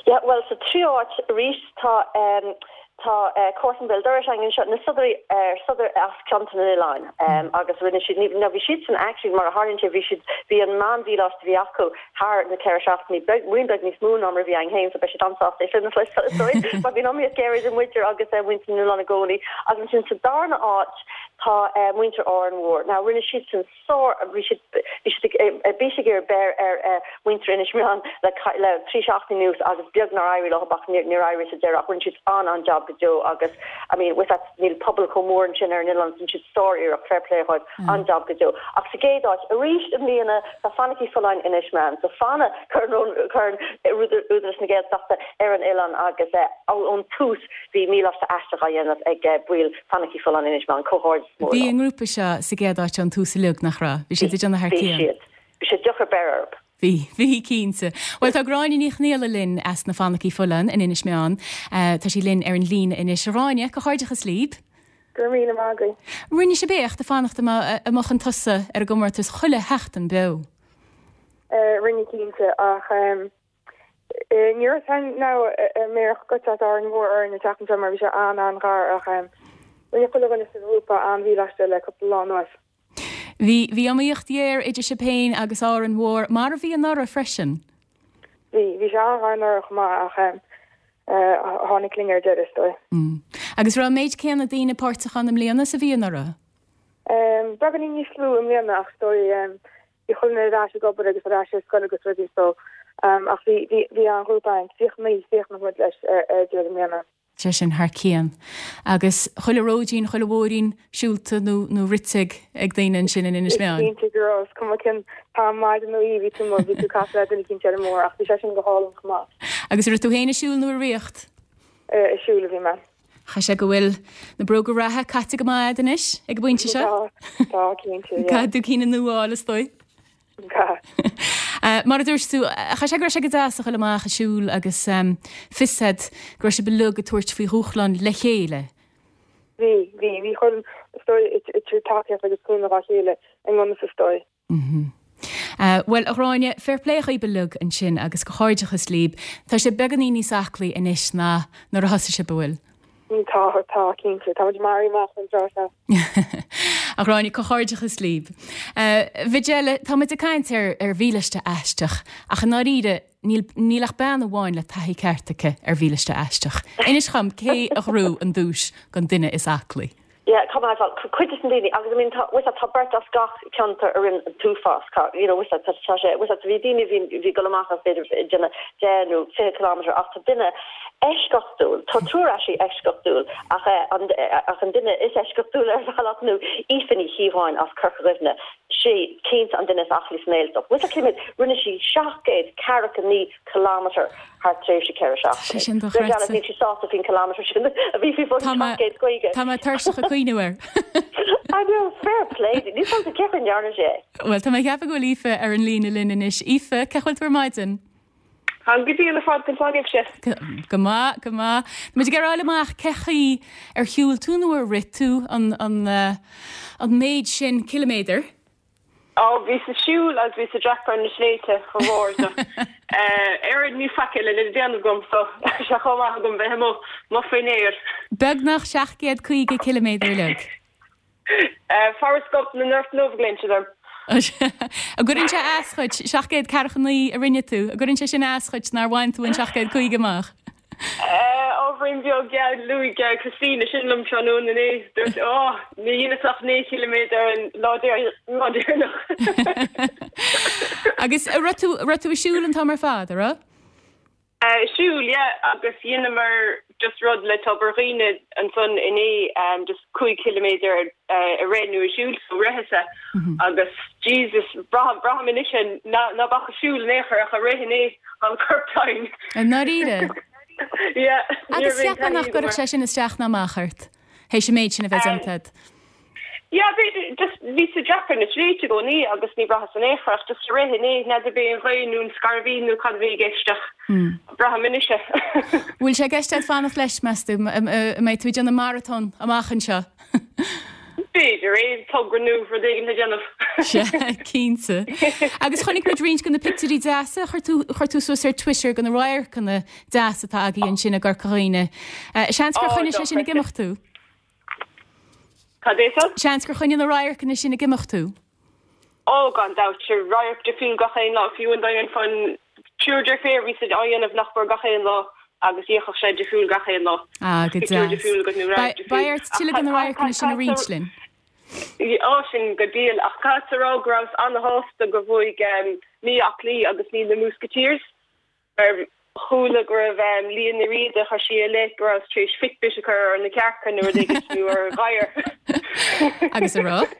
[SPEAKER 7] Yeah, bhuel, sa tríú háit arís tá tá Comharsan Béal Dorais againn anseo, na Sodairí Sodar as Ceantar na nOileán agus rinne siad, ní, nó bhí siadsan actually mar a tharlaíonn sé, bhí siad, bhí an meán-mhíleáiste a bhí acu thar na ceithre seachtainí, beag, roinnt beag níos mó ná mar a bhí againn féin, so beidh siad an-sásta é sin a chloisteáil is dóigh, mar bíonn iomaíocht ghéar idir muide agus muintir na n-oileán i gcónaí. Agus ansin sa darna áit tá muintir Árainn Mhór. Now rinne siadsan sár, bhí siad, bhí siad ag, ar bís ag iarraidh beir ar mhuintir Inis Meáin le, le trí seachtainí anuas agus beag nár éirigh leo ach níor, níor éirigh sa deireadh ach rinne siad an-an-jab go deo agus I mean with that níl pobal chomh mór ansin ar an oileán, rinne siad sár-iarracht, fair play dhóibh. An-jab go deo. Ach sa gcéad áit, arís i mbliana, tá Fanaigí Folláin Inis Meáin. So fanadh Corn Údarás na Gaeltachta ar an oileán agus ón tús bhí míleáiste aisteach á dhéanamh ag baill Fanaigí Folláin Inis Meáin. Comhghairdeas mór
[SPEAKER 1] leo. Bhí an ngrúpa seo sa gcéad áit ón tús uilig, nach raibh? Bhí siad ag déanamh thar
[SPEAKER 7] cionn. Bhí siad. Bhí sé deocair beir orthu.
[SPEAKER 1] Bhí, bhí, cinnte. Bhuel, tá Gráinne Ní Chonghaile linn as na Fanaigí Folláin in Inis Meáin. Tá sí linn ar an líne anois. A Ghráinne, comhghairdeachas libh.
[SPEAKER 9] Go raibh míle maith agaibh.
[SPEAKER 1] Rinne sibh éacht ag fanacht amuigh chun tosaigh ar an gcomórtas chuile sheachtain beo.
[SPEAKER 9] Rinne cinnte, ach ní raibh a fhios againn now an mbéarfadh guts as Árainn Mhór orainn an tseachtain seo mar bhí sé an-an-ghar ach rinne chuile dhuine sa ghrúpa an-mhíleáiste le cúpla lá anuas.
[SPEAKER 1] Bhí, bhí iomaíocht ghéar idir sibh féin agus Árainn Mhór, mar a bhí anuraidh freisin.
[SPEAKER 9] Bhí, bhí sé an-ghar anuraidh chomh maith ach tháinig linn ar deireadh, is dóigh.
[SPEAKER 1] Agus raibh an méid céanna daoine páirteach ann i mbliana is a bhí anuraidh?
[SPEAKER 9] Beagáinín níos lú i mbliana ach is dóigh bhí chuile dhuine ar ais ag obair agus ar ais ar scoil agus rudaí so ach bhí, bhí, bhí an-ghrúpa againn, 39, 39 muid leis ar deireadh i mbliana.
[SPEAKER 1] Sé sin thar cionn. Agus chuile róidín, chuile bhóithrín siúlta nó nó rite ag ag daoine ansin in Inis
[SPEAKER 9] Is
[SPEAKER 1] Meáin.
[SPEAKER 9] cinnte go raibh. Is cuma cén t-am maidin nó oíche bhí tú amuigh, bhí tú ag casadh le duine eicínt ar an mbóthar ach bhí sé sin go hálainn chomh maith.
[SPEAKER 1] Agus an raibh tú féin ag siúl nó ag ritheacht?
[SPEAKER 9] Ag siúl a bhí mé.
[SPEAKER 1] Chaithfeadh sé go bhfuil na bróga reatha caite go maith agat anois ag an bpointe
[SPEAKER 9] seo? Tá, tá, cinnte, yeah.
[SPEAKER 1] Caithfidh tú cinn nua a fháil is dóigh.
[SPEAKER 9] Caithfidh.
[SPEAKER 1] Mar a dúirt tú, chaithfeadh sé go raibh sé go deas a dhul amach ag siúl agus fios agat go raibh sibh uilig ag tabhairt faoi dhúshlán le chéile.
[SPEAKER 9] Bhí, bhí. Bhí chuile, is dóigh, ag tabhairt tacaíocht agus cúnamh dá chéile i ngan fhios is dóigh.
[SPEAKER 1] Bhuel, a Ghráinne, fair play dhaoib uilig ansin agus comhghairdeachas líb. Tá sibh beagáinín níos aclaí anois ná nuair a thosaigh sibh, an bhfuil?
[SPEAKER 9] Tá, tá, cinnte. Tá muid maraithe amach an tráth seo.
[SPEAKER 1] A Ghráinne, comhghairdeachas líb. A Mhajella, tá muid ag caint ar ar mhílaiste aisteach, ach i ndáiríre, níl níl ach bean amháin le taithí ceart aici ar mhílaiste aisteach. Inis dhom cé a ghnóthaigh an duais don duine is aclaí?
[SPEAKER 7] Yeah, tá mé, bhuel, cuid des na daoine, agus I mean tá, bhfuil 's agat, tá beirt as gach ceantar a rinne an t-uafás, tá, you know, bhfuil 's agat, tá, tá sé, bhfuil 's agat, bhí daoine a bhí, bhí ag dul amach as b'fhéidir ag déanamh 10 nó 20 kilometre ach tá duine eisceachtúil, tá triúr actually eisceachtúil ach eh, an, ach an duine is eisceachtúil ar bhealach ná Aoife Ní Chíobháin as Corca Dhuibhne, sí cinnte an duine is aclaí sa nGaeltacht. Bhfuil 's agat cé mhéad, rinne sí 749 kilometre. thar tréimhse 4
[SPEAKER 1] Tá sé
[SPEAKER 7] seachtaine.
[SPEAKER 1] sin
[SPEAKER 7] Deir
[SPEAKER 1] dochreidte.
[SPEAKER 7] Janet níl sí sásta faoin kilometre sin a bhí faoi bhun
[SPEAKER 1] Tá mé
[SPEAKER 7] 750.
[SPEAKER 1] tá mé tuirseach ag cuimhniú air.
[SPEAKER 7] I know, fair play di. Níl 's agamsa cén chaoi a ndearna sí é.
[SPEAKER 1] Bhuel, tá mé ag ceapadh go bhfuil Aoife ar an líne linn anois. Aoife, cén chaoi a bhfuil tú ar maidin?
[SPEAKER 10] Táim go diail ar fad, conas tá sibhse?
[SPEAKER 1] Go maith, go maith. Tá muid ag iarraidh a fháil amach cén chaoi ar shiúil tú nó ar rith tú an an an méid sin ciliméadar.
[SPEAKER 10] Ó, bhíos ag siúl agus bhíos ag dreapadh na sléibhte chomh mór so. Oiread níl faic eile le déanamh agam so tá sé chomh maith agam bheith amuigh amuigh faoin aer.
[SPEAKER 1] Beagnach 750 ciliméadar uilig.
[SPEAKER 10] Fabhar scoth na ngort ndubh a ghlaonn siad orm.
[SPEAKER 1] An gcuireann sé as dhuit, 749 a rinne tú, an gcuireann sé sin as dhuit nár bhain tú an 750 amach?
[SPEAKER 10] Ábhairín beag, yeah, luaigh Christina sin liom tráthnóna inné. Dúirt sí, Ó, ní dheineas ach 9 chiliméadar an lá deireanach.
[SPEAKER 1] Agus an raibh tú, raibh tú ag siúl an t-am ar fad, an raibh?
[SPEAKER 10] Ag siúl, yeah, agus dheineamar just rud le Tobar Dhuibhne ansan inné, just 5 chiliméadar ag rith nó ag siúl, so ritheas-sa agus Jesus, braithim, braithim anois é ná, ná beadh ag siúl in aon chor ach ag rith inné. An corp tinn.
[SPEAKER 1] I ndáiríre?
[SPEAKER 10] Yeah. Ní
[SPEAKER 1] Agus
[SPEAKER 10] raibh aon
[SPEAKER 1] cheapfá nach
[SPEAKER 10] taithí agam
[SPEAKER 1] gcuirfeadh
[SPEAKER 10] air.
[SPEAKER 1] sé sin isteach ná amach ort, théis an méid sin a bheith déanta agat?
[SPEAKER 10] Yeah, b'fhéidir, just bhíos ag dreapadh na sléibhte i gcónaí agus ní bhraitheas in aon chor ach just ag rith inné, n'fheadar b'é an ghaoth nó an scairbhín nó cad a bhí i gceist ach braithim anois é.
[SPEAKER 1] Bhfuil sé i gceist agat fanacht leis, meas tú? An mbeidh tú ag déanamh maratón amach anseo?
[SPEAKER 10] B'fhéidir é, togra nua, rud éigin le déanamh.
[SPEAKER 1] Sea, cinnte. Agus chonaic muid roinnt de na pictiúirí deasa a chuir tú, chuir tú suas ar Twitter de na radharcanna deasa atá agaibh ansin i gCorca Dhuibhne. Seans gur
[SPEAKER 10] Ó,
[SPEAKER 1] choinnigh sé sin ag
[SPEAKER 10] dochreidte.
[SPEAKER 1] imeacht tú?
[SPEAKER 10] Cad é san?
[SPEAKER 1] Seans gur choinnigh na radharcanna sin ag imeacht tú?
[SPEAKER 10] Ó, gan dabht, sure, radharc difriúil gach aon lá, fiú an dá ndéanfá an triúr deirféar, bhí siad á dhéanamh nach mór gach aon lá agus d'fhéachfadh sé difriúil gach aon lá.
[SPEAKER 1] Ah, go
[SPEAKER 10] Pictiúr
[SPEAKER 1] deas.
[SPEAKER 10] difriúil agat nó radharc difriúil.
[SPEAKER 1] Beidh ort tuilleadh de na radharcanna sin a roinnt linn.
[SPEAKER 10] Ó, sin go diail, ach caithfeadsa a rá go rabhas ana-shásta gur bhuaigh Mí Aclaí agus ní na Múscaitírs. Mar chuala go raibh Liadh Ní Riada, chuir sí i leith go rabhas tar éis Fitbit a chur ar na cearca nó rud éigin nó ar ghadhar.
[SPEAKER 1] Agus an raibh?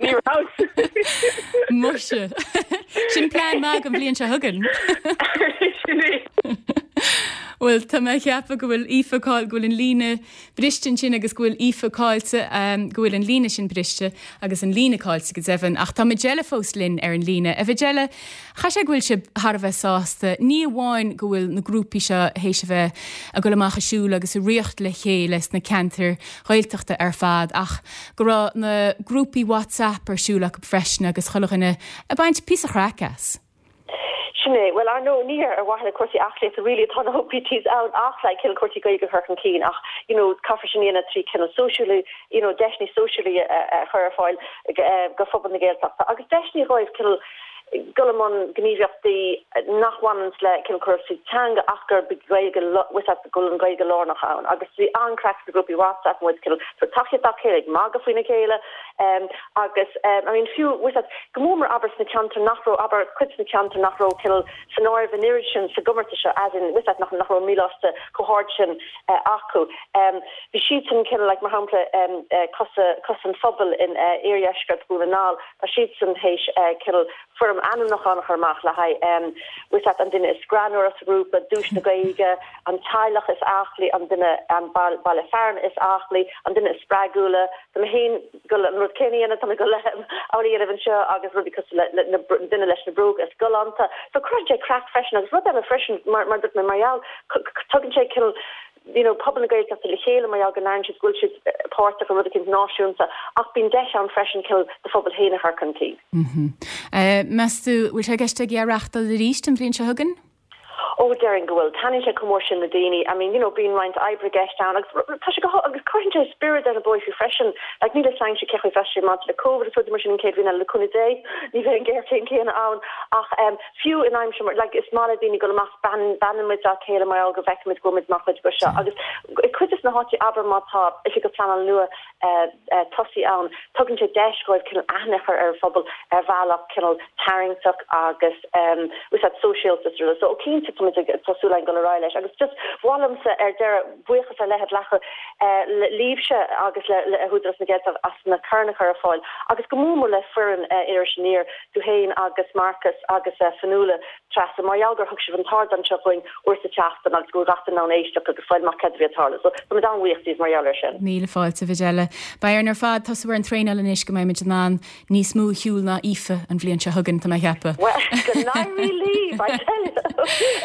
[SPEAKER 10] Ní rabhas.
[SPEAKER 1] Muise. Sin plean maith don bhliain seo chugainn.
[SPEAKER 10] Sin é.
[SPEAKER 1] Bhuel, tá mé ag ceapadh go bhfuil Aoife cáil, go bhfuil an líne briste ansin agus go bhfuil Aoife caillte, go bhfuil an líne sin briste agus an líne caillte go deimhin. Ach tá Majella fós linn ar an líne. A Mhajella, chaithfeadh sé go bhfuil sibh thar a bheith sásta, ní amháin go bhfuil na grúpaí seo théis a bheith ag dul amach ag siúl agus ag ritheacht le chéile sna ceantair Ghaeltachta ar fad ach go raibh na grúpaí WhatsApp ar siúl acu freisin agus chuile dhuine ag baint píosa chraic as.
[SPEAKER 7] Sin é. Bhuel, ar ndóigh, ní ar mhaithe le cúrsaí aclaíochta really atá na OPTs ann ach like cineál cúrsaí Gaeilge a chur chun cinn ach you know caithfear sin a dhéanamh trí cineál sóisialú, you know deiseanna sóisialaí a chur ar fáil go phobal na Gaeltachta agus deiseanna dhóibh cineál dul i mbun gníomhaíochtaí nach bhaineanns le cineál cúrsaí teanga ach gurb í Gaeilge, bhfuil 's agat, go bhfuil an Ghaeilge lárnach ann agus bhí an-craic sna grúpaí WhatsApp muid cineál tabhairt tacaíocht dá chéile ag magadh faoina chéile Agus, I mean, fiú, bhfuil 's agat, go mór mór abair sna ceantair nach raibh, abair, cuid de na ceantair nach raibh cineál san áireamh an oiread sin sa gcomórtas seo, as in, bhfuil 's agat, nach, nach raibh an míleáiste chomh hard sin acu. Bhí siadsan cineál, like, mar shampla, Cosa, Cosa an Phobail in iardheisceart Dhún na nGall, tá siadsan théis cineál foirm. orm ainmniúchán a chur amach le haghaidh bhfuil 's agat an duine is greannmhaire sa ghrúpa, duais na Gaeilge, an teaghlach is aclaí, an duine, an baile fearainn is aclaí, an duine is spreagúla. Tá mé féin ag dul an rud céanna a dhéanamh, tá mé ag dul amhlaidh a dhéanamh anseo agus rudaí cosúil le na duine leis na bróga is galánta. So cuireann sé craic freisin agus rud eile freisin mar mar dúirt mé mar gheall tugann sé cineál you know pobal na Gaeltachta le chéile mar gheall go n-airíonn siad go bhfuil siad páirteach i rud eicínt náisiúnta ach bíonn deis ann freisin cineál do phobal féin a chur chun cinn.
[SPEAKER 1] Meas tú, bhfuil sé i gceist agaibh é a reachtáil arís an bhliain seo chugainn?
[SPEAKER 7] Ó, déarfainn go bhfuil. Taitníonn sé chomh mór sin le daoine. I mean, you know, bíonn roinnt oibre i gceist ann agus tá sé go agus cuireann sé spiorad ar na bóithre freisin. Like, níl a fhios againn cé chaoi a bheas sé maidir le Covid is rudaí mar sin an chéad bhliain eile le cúnamh Dé, ní bheidh an ghéarchéim chéanna ann ach em fiú in aimsir mar like is maith le daoine dul amach bean beannaíonn muid dá chéile mar gheall go bhfeicimid go bhfuil muid mar chuid de seo agus i cuid de na háiteacha abair má tá oifigeach pleanála nua tosaithe ann. Tugann sé deis dhóibh cineál aithne a chur ar an phobal ar bhealach cineál tarraingteach agus úsáid sóisialta is rudaí. So cinnte tá muid ag tá súil againn dul ar aghaidh leis. Agus just ba mhaith liomsa ar deireadh buíochas ar leith a ghlacadh libhse agus le le hÚdarás na Gaeltachta as na coirn a chur ar fáil agus go mór mór le foireann Iris Aniar, tú féin agus Marcus agus Fionnuala. Treasa, mar gheall gur thug sibh an t-ardán seo dhúinn uair sa tseachtain agus go bhfuil gach duine in ann éisteacht agus fáil amach céard a bhí ag tarlú. So, tá muid an-bhuíoch díbh mar gheall air sin.
[SPEAKER 1] Míle fáilte, a Mhajella. Beidh orainn ar fad tosú ar an traenáil anois go mbeidh muid in ann níos mó a shiúl ná Aoife an bhliain seo chugainn, tá mé a cheapadh.
[SPEAKER 7] Bhuel, go n-éirí libh, I tell you!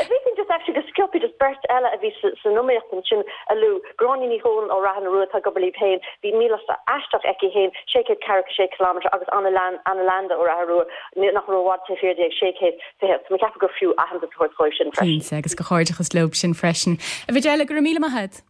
[SPEAKER 7] If we can just actually go sciobtha just beirt eile a bhí san iomaíocht ansin a lua, Gráinne Ní Dhomhnaill ó Rath na Rua atá ag obair libh féin, bhí mílasta aisteach aici féin, 646 kilometre agus Anna Landa ó Rath na Rua, nach raibh i bhfad taobh thiar di ag 620. Tá mé ag ceapadh gur fiú aitheantas a thabhairt dhóibh sin freisin.
[SPEAKER 1] Cinnte, agus comhghairdeachas leo sin freisin. A Mhajella, go raibh míle maith agat.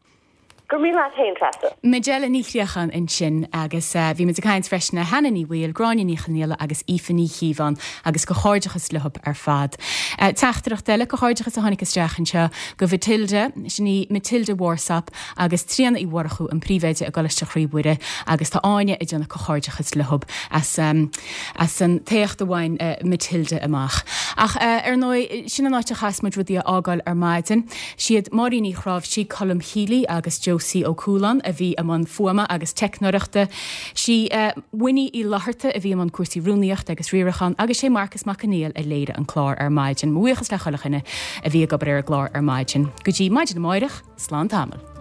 [SPEAKER 7] Go raibh míle maith agat féin, Treasa.
[SPEAKER 1] Majella Ní Chríocháin ansin agus bhí muid ag caint freisin le Hannah Ní Bhaoill, Gráinne Ní Chonghaile agus Aoife Ní Chíobháin agus comhghairdeachas leo ar fad. Teachtaireacht eile comhghairdeachas a tháinig isteach anseo go Mhatilda, sin í Matilda Warsop agus Tríona Uí Mhurchú, an príomhoide i gColáiste Chroí Mhuire agus tá Áine ag déanamh comhghairdeachas leo as as an t-éacht a bhain Matilda amach. Ach ar ndóigh, sin an áit a chaithfeas muid rudaí a fhágáil ar maidin. Siad Máirín Uí Chráimhsí, Colm Healy agus Josie Ó Cualáin a bhí i mbun fuaime agus teicneoireachta. Sí Winnie Uí Fhlatharta a bhí i mbun cúrsaí rúnaíochta agus riaracháin agus sé Marcas Mac Conghail a léirigh an clár ar maidin. Mo bhuíochas le chuile dhuine a bhí ag obair ar an gclár ar maidin. Go dtí maidin amáireach, slán tamall.